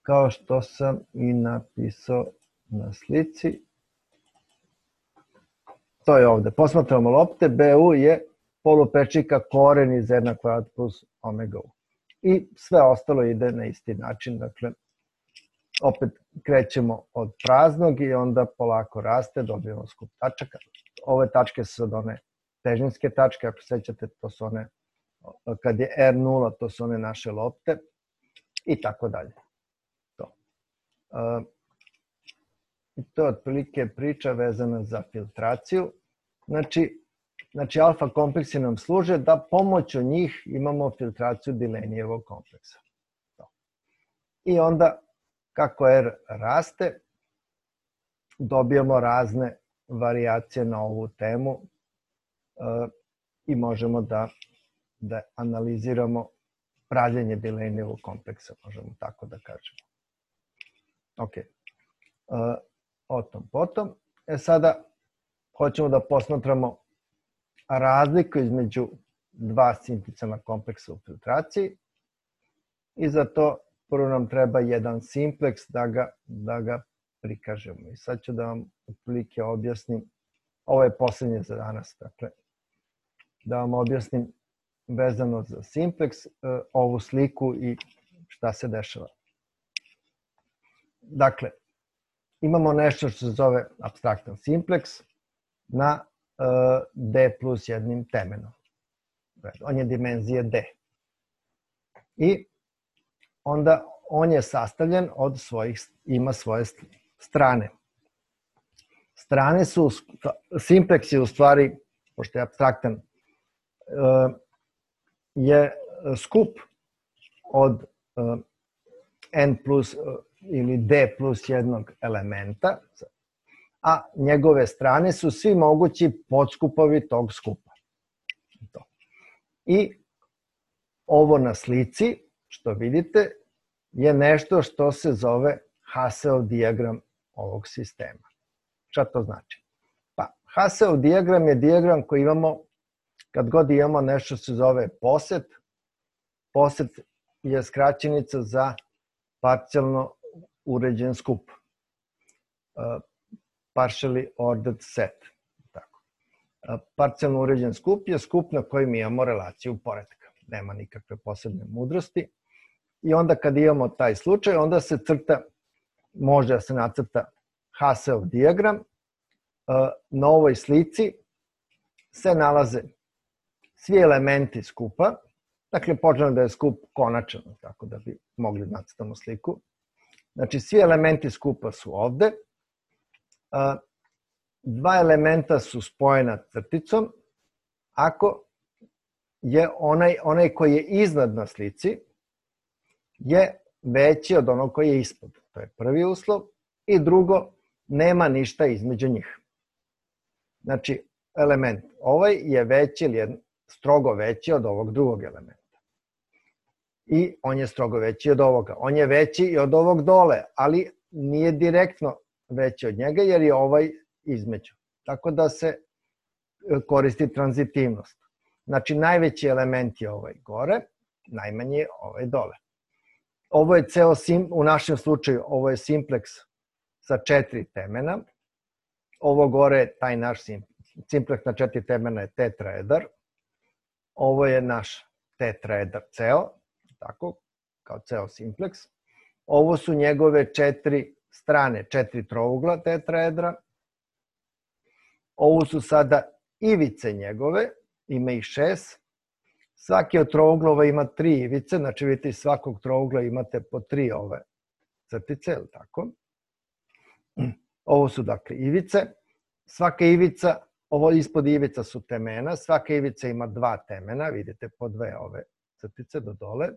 kao što sam i napisao na slici. To je ovde. Posmatramo lopte. B U je poluprečnika koren iz R na kvadrat plus omega U. I sve ostalo ide na isti način. Dakle, opet krećemo od praznog i onda polako raste, dobijemo skup tačaka. Ove tačke su sad one težinske tačke, ako sećate, to su one, kad je R nula, to su one naše lopte i tako dalje. To. I to je otprilike priča vezana za filtraciju. Znači, znači alfa kompleksi nam služe da pomoću njih imamo filtraciju Delaneyevog kompleksa. To. I onda, kako R raste, dobijamo razne varijacije na ovu temu e, i možemo da, da analiziramo pravljenje Delaneyevog kompleksa, možemo tako da kažemo. Ok. E, o tom potom. E sada hoćemo da posmatramo razliku između dva simplicana kompleksa u filtraciji i za to prvo nam treba jedan simpleks da ga, da ga prikažemo. I sad ću da vam otprilike objasnim, ovo je poslednje za danas, dakle, da vam objasnim vezano za simpleks ovu sliku i šta se dešava. Dakle, imamo nešto što se zove apstraktan simpleks na D plus jednim temenom. On je dimenzije D. I onda on je sastavljen od svojih, ima svoje strane. Strane su, simpleks je u stvari, pošto je apstraktan, je skup od N plus ili D plus jednog elementa, a njegove strane su svi mogući podskupovi tog skupa. I ovo na slici, što vidite, je nešto što se zove Haseov dijagram ovog sistema. Šta to znači? Pa, Haseov dijagram je dijagram koji imamo kad god imamo nešto se zove poset. Poset je skraćenica za parcijalno uređen skup. Partially ordered set. Tako. Parcijalno uređen skup je skup na kojem imamo relaciju poretka. Nema nikakve posebne mudrosti. I onda kad imamo taj slučaj, onda se crta, može da se nacrta Haseov dijagram. Na ovoj slici se nalaze svi elementi skupa. Dakle, počnemo da je skup konačan, tako da bi mogli da nacrtamo sliku. Znači, svi elementi skupa su ovde. Dva elementa su spojena crticom. Ako je onaj, onaj koji je iznad na slici je veći od onog koji je ispod. To je prvi uslov. I drugo, nema ništa između njih. Znači, element ovaj je veći ili je strogo veći od ovog drugog elementa. I on je strogo veći od ovoga. On je veći i od ovog dole, ali nije direktno veći od njega jer je ovaj između. Tako da se koristi tranzitivnost. Znači, najveći element je ovaj gore, najmanji je ovaj dole. Ovo je ceo, sim, u našem slučaju, ovo je simplex sa četiri temena. Ovo gore je taj naš simplex na četiri temena je tetraedar. Ovo je naš tetraedar ceo, tako, kao ceo simplex. Ovo su njegove četiri strane, četiri trougla tetraedra. Ovo su sada ivice njegove, ima ih šest. Svaki od trouglova ima tri ivice, znači vidite iz svakog trougla imate po tri ove crtice, ili tako? Ovo su dakle ivice. Svaka ivica, ovo ispod ivica su temena, svaka ivica ima dva temena, vidite po dve ove crtice do dole.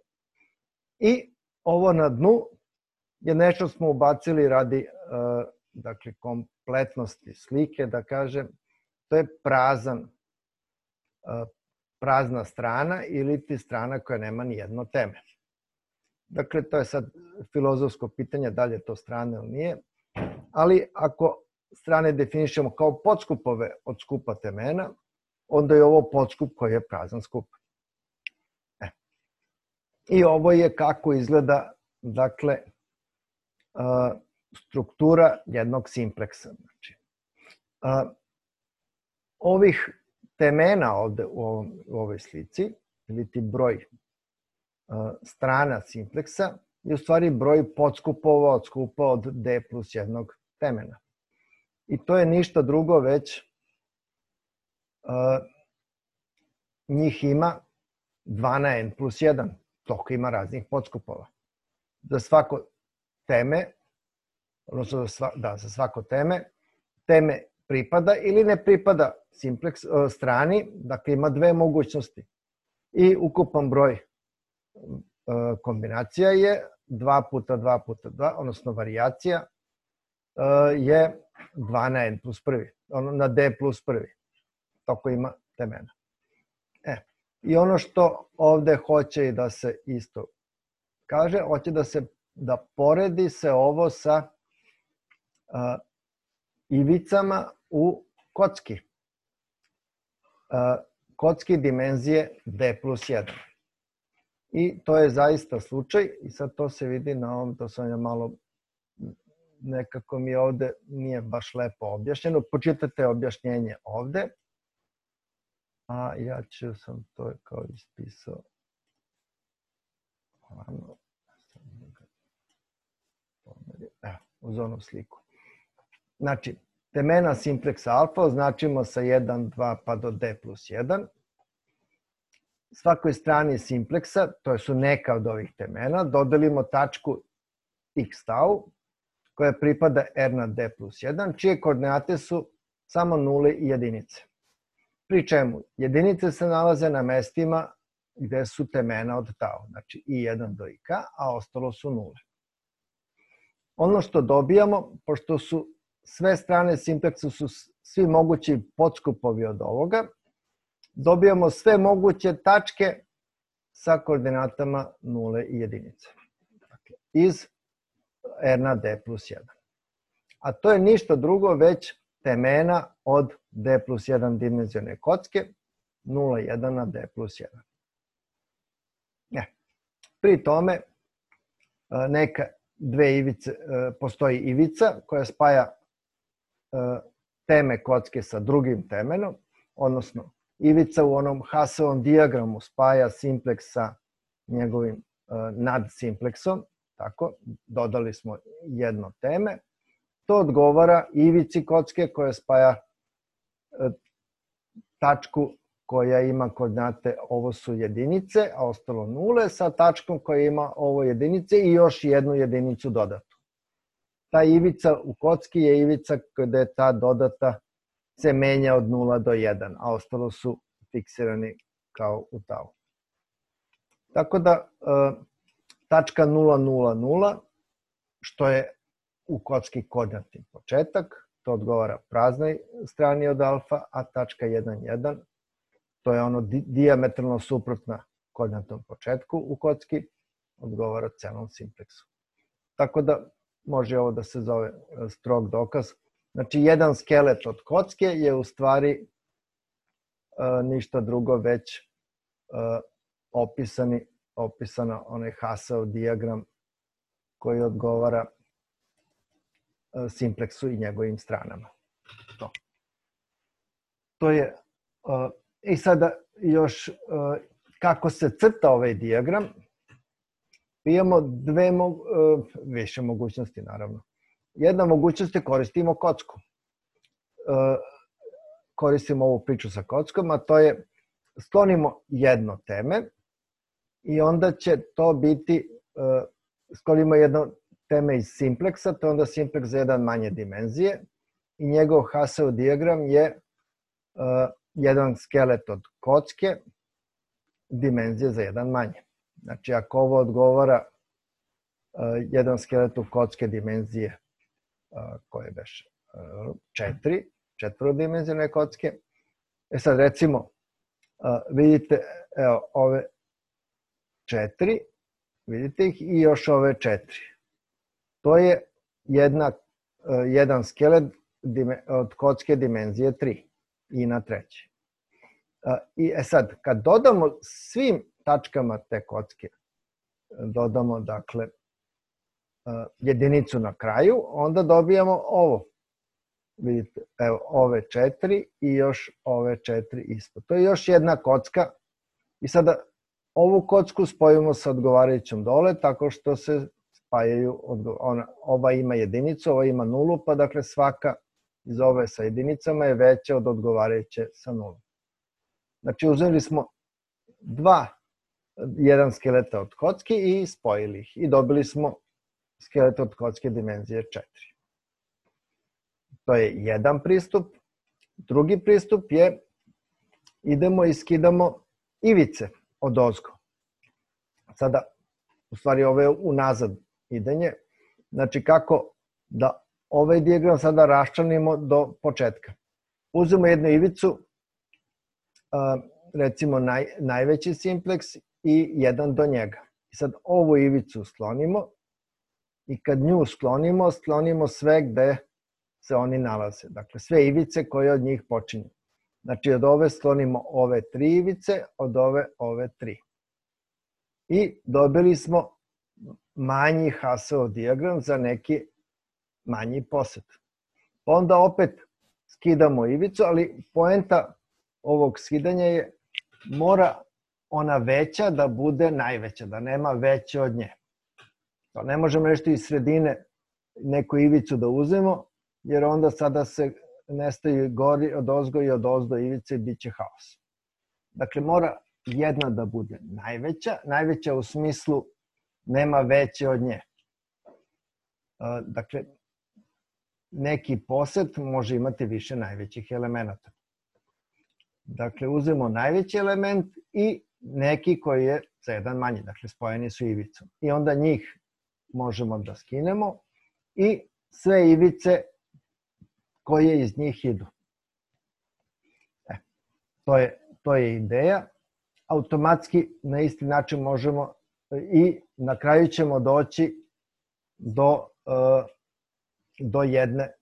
I ovo na dnu je nešto smo ubacili radi dakle, kompletnosti slike, da kažem, to je prazan, prazna strana ili ti strana koja nema ni jedno teme. Dakle, to je sad filozofsko pitanje, da li je to strana ili nije, ali ako strane definišemo kao podskupove od skupa temena, onda je ovo podskup koji je prazan skup. E. I ovo je kako izgleda, dakle, struktura jednog simpleksa. Znači, ovih temena ovde u, ovom, u ovoj slici, ili ti broj strana simpleksa, je u stvari broj podskupova od skupa od d plus jednog temena. I to je ništa drugo, već uh, njih ima dva na n plus jedan, toliko ima raznih podskupova. Za svako teme, odnosno za, sva, da, za svako teme, teme pripada ili ne pripada simpleks, uh, strani, dakle ima dve mogućnosti. I ukupan broj uh, kombinacija je dva puta dva puta dva, odnosno varijacija uh, je dva na n plus prvi, ono na d plus prvi. Toko ima temena. E, i ono što ovde hoće i da se isto kaže, hoće da se da poredi se ovo sa uh, ivicama u kocki. Uh, kocki dimenzije d plus jedan. I to je zaista slučaj i sad to se vidi na ovom, to sam ja malo, nekako mi ovde nije baš lepo objašnjeno. Počitajte objašnjenje ovde. A ja ću sam to kao ispisao. Evo, uz onu sliku. Znači, temena simpleksa alfa označimo sa jedan, dva pa do d plus jedan. Svakoj strani simpleksa, to su neka od ovih temena, dodelimo tačku x tau, koja pripada r na d plus jedan, čije koordinate su samo nule i jedinice. Pri čemu jedinice se nalaze na mestima gde su temena od tau, znači i jedan do ik, a ostalo su nule. Ono što dobijamo, pošto su sve strane simpleksa su svi mogući podskupovi od ovoga, dobijamo sve moguće tačke sa koordinatama nule i jedinice. Dakle, iz r na d plus jedan. A to je ništa drugo već temena od d plus jedan dimenzione kocke, nula jedan na d plus jedan. Ne. Pri tome neka dve ivice, postoji ivica koja spaja teme kocke sa drugim temenom, odnosno ivica u onom Hasseovom dijagramu spaja simpleks sa njegovim nadsimpleksom, tako, dodali smo jedno teme. To odgovara ivici kocke koja spaja tačku koja ima koordinate, ovo su jedinice, a ostalo nule, sa tačkom koja ima ovo jedinice i još jednu jedinicu dodatu. Ta ivica u kocki je ivica kada je ta dodata se menja od nula do jedan, a ostalo su fiksirani kao u tau. Tako da tačka nula nula nula, što je u kocki koordinatni početak, to odgovara praznoj strani od alfa, a tačka jedan jedan, to je ono dijametralno suprotna koordinatnom početku u kocki, odgovara celom simpleksu. Tako da može ovo da se zove strog dokaz. Znači, jedan skelet od kocke je u stvari uh, ništa drugo već uh, opisani opisano onaj Haasov dijagram koji odgovara simpleksu i njegovim stranama. To. To je, i sada još kako se crta ovaj dijagram, imamo dve, više mogućnosti naravno. Jedna mogućnost je koristimo kocku. Koristimo ovu priču sa kockom, a to je sklonimo jedno teme i onda će to biti, sklonimo jedno teme iz simpleksa, to je onda simpleks za jedan manje dimenzije i njegov Haasov dijagram je jedan skelet od kocke, dimenzije za jedan manje. Znači, ako ovo odgovara jedan skelet od kocke dimenzije koje beše četiri, četvorodimenzionalne kocke. E sad, recimo, vidite, evo, ove četiri, vidite ih, i još ove četiri. To je jedna, jedan skelet od kocke dimenzije tri i na treći. I e sad, kad dodamo svim tačkama te kocke, dodamo, dakle, jedinicu na kraju, onda dobijamo ovo. Vidite, evo, ove četiri i još ove četiri ispod. To je još jedna kocka i sada ovu kocku spojimo sa odgovarajućom dole tako što se spajaju, ona, ova ima jedinicu, ova ima nulu, pa dakle svaka iz ove sa jedinicama je veća od odgovarajuće sa nulom. Znači uzeli smo dva, jedan skeleta od kocki i spojili ih i dobili smo skelet od kocke dimenzije četiri. To je jedan pristup. Drugi pristup je idemo i skidamo ivice od ozgo. Sada, u stvari ovo je unazad idenje. Znači kako da ovaj dijagram sada raščlanimo do početka. Uzmemo jednu ivicu, recimo naj, najveći simpleks i jedan do njega. I sad ovu ivicu sklonimo i kad nju sklonimo, sklonimo sve gde se oni nalaze. Dakle, sve ivice koje od njih počinju. Znači, od ove sklonimo ove tri ivice, od ove ove tri. I dobili smo manji Haasov dijagram za neki manji poset. Onda opet skidamo ivicu, ali poenta ovog skidanja je mora ona veća da bude najveća, da nema veće od nje. To ne možemo nešto iz sredine neku ivicu da uzmemo, jer onda sada se nestaju gori od ozgo i od ozdo ivice i bit će haos. Dakle, mora jedna da bude najveća, najveća u smislu nema veće od nje. Dakle, neki poset može imati više najvećih elemenata. Dakle, uzmemo najveći element i neki koji je za jedan manji, dakle spojeni su ivicom. I onda njih možemo da skinemo i sve ivice koje iz njih idu. E, to je, to je ideja. Automatski na isti način možemo i na kraju ćemo doći do, do jedne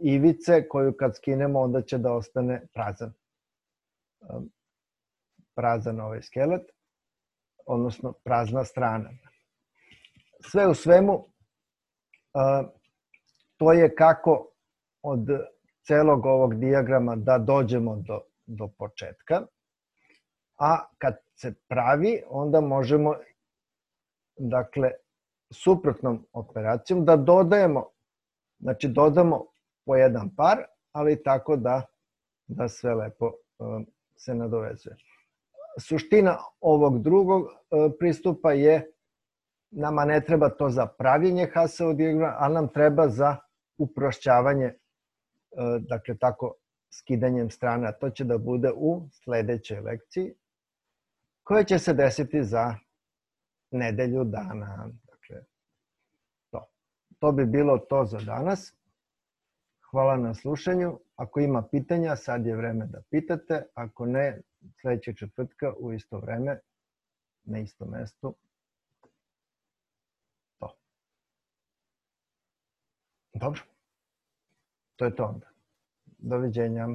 ivice koju kad skinemo onda će da ostane prazan. Prazan ovaj skelet, odnosno prazna strana. Sve u svemu, to je kako od celog ovog dijagrama da dođemo do, do početka, a kad se pravi, onda možemo, dakle, suprotnom operacijom da dodajemo, znači dodamo po jedan par, ali tako da, da sve lepo se nadovezuje. Suština ovog drugog pristupa je, nama ne treba to za pravljenje Haasovog dijagrama, ali nam treba za uprošćavanje, dakle tako skidanjem strana. To će da bude u sledećoj lekciji, koja će se desiti za nedelju dana. Dakle, to. To bi bilo to za danas. Hvala na slušanju. Ako ima pitanja, sad je vreme da pitate. Ako ne, sledećeg četvrtka u isto vreme, na istom mestu. To. Dobro. To je to onda. Doviđenja.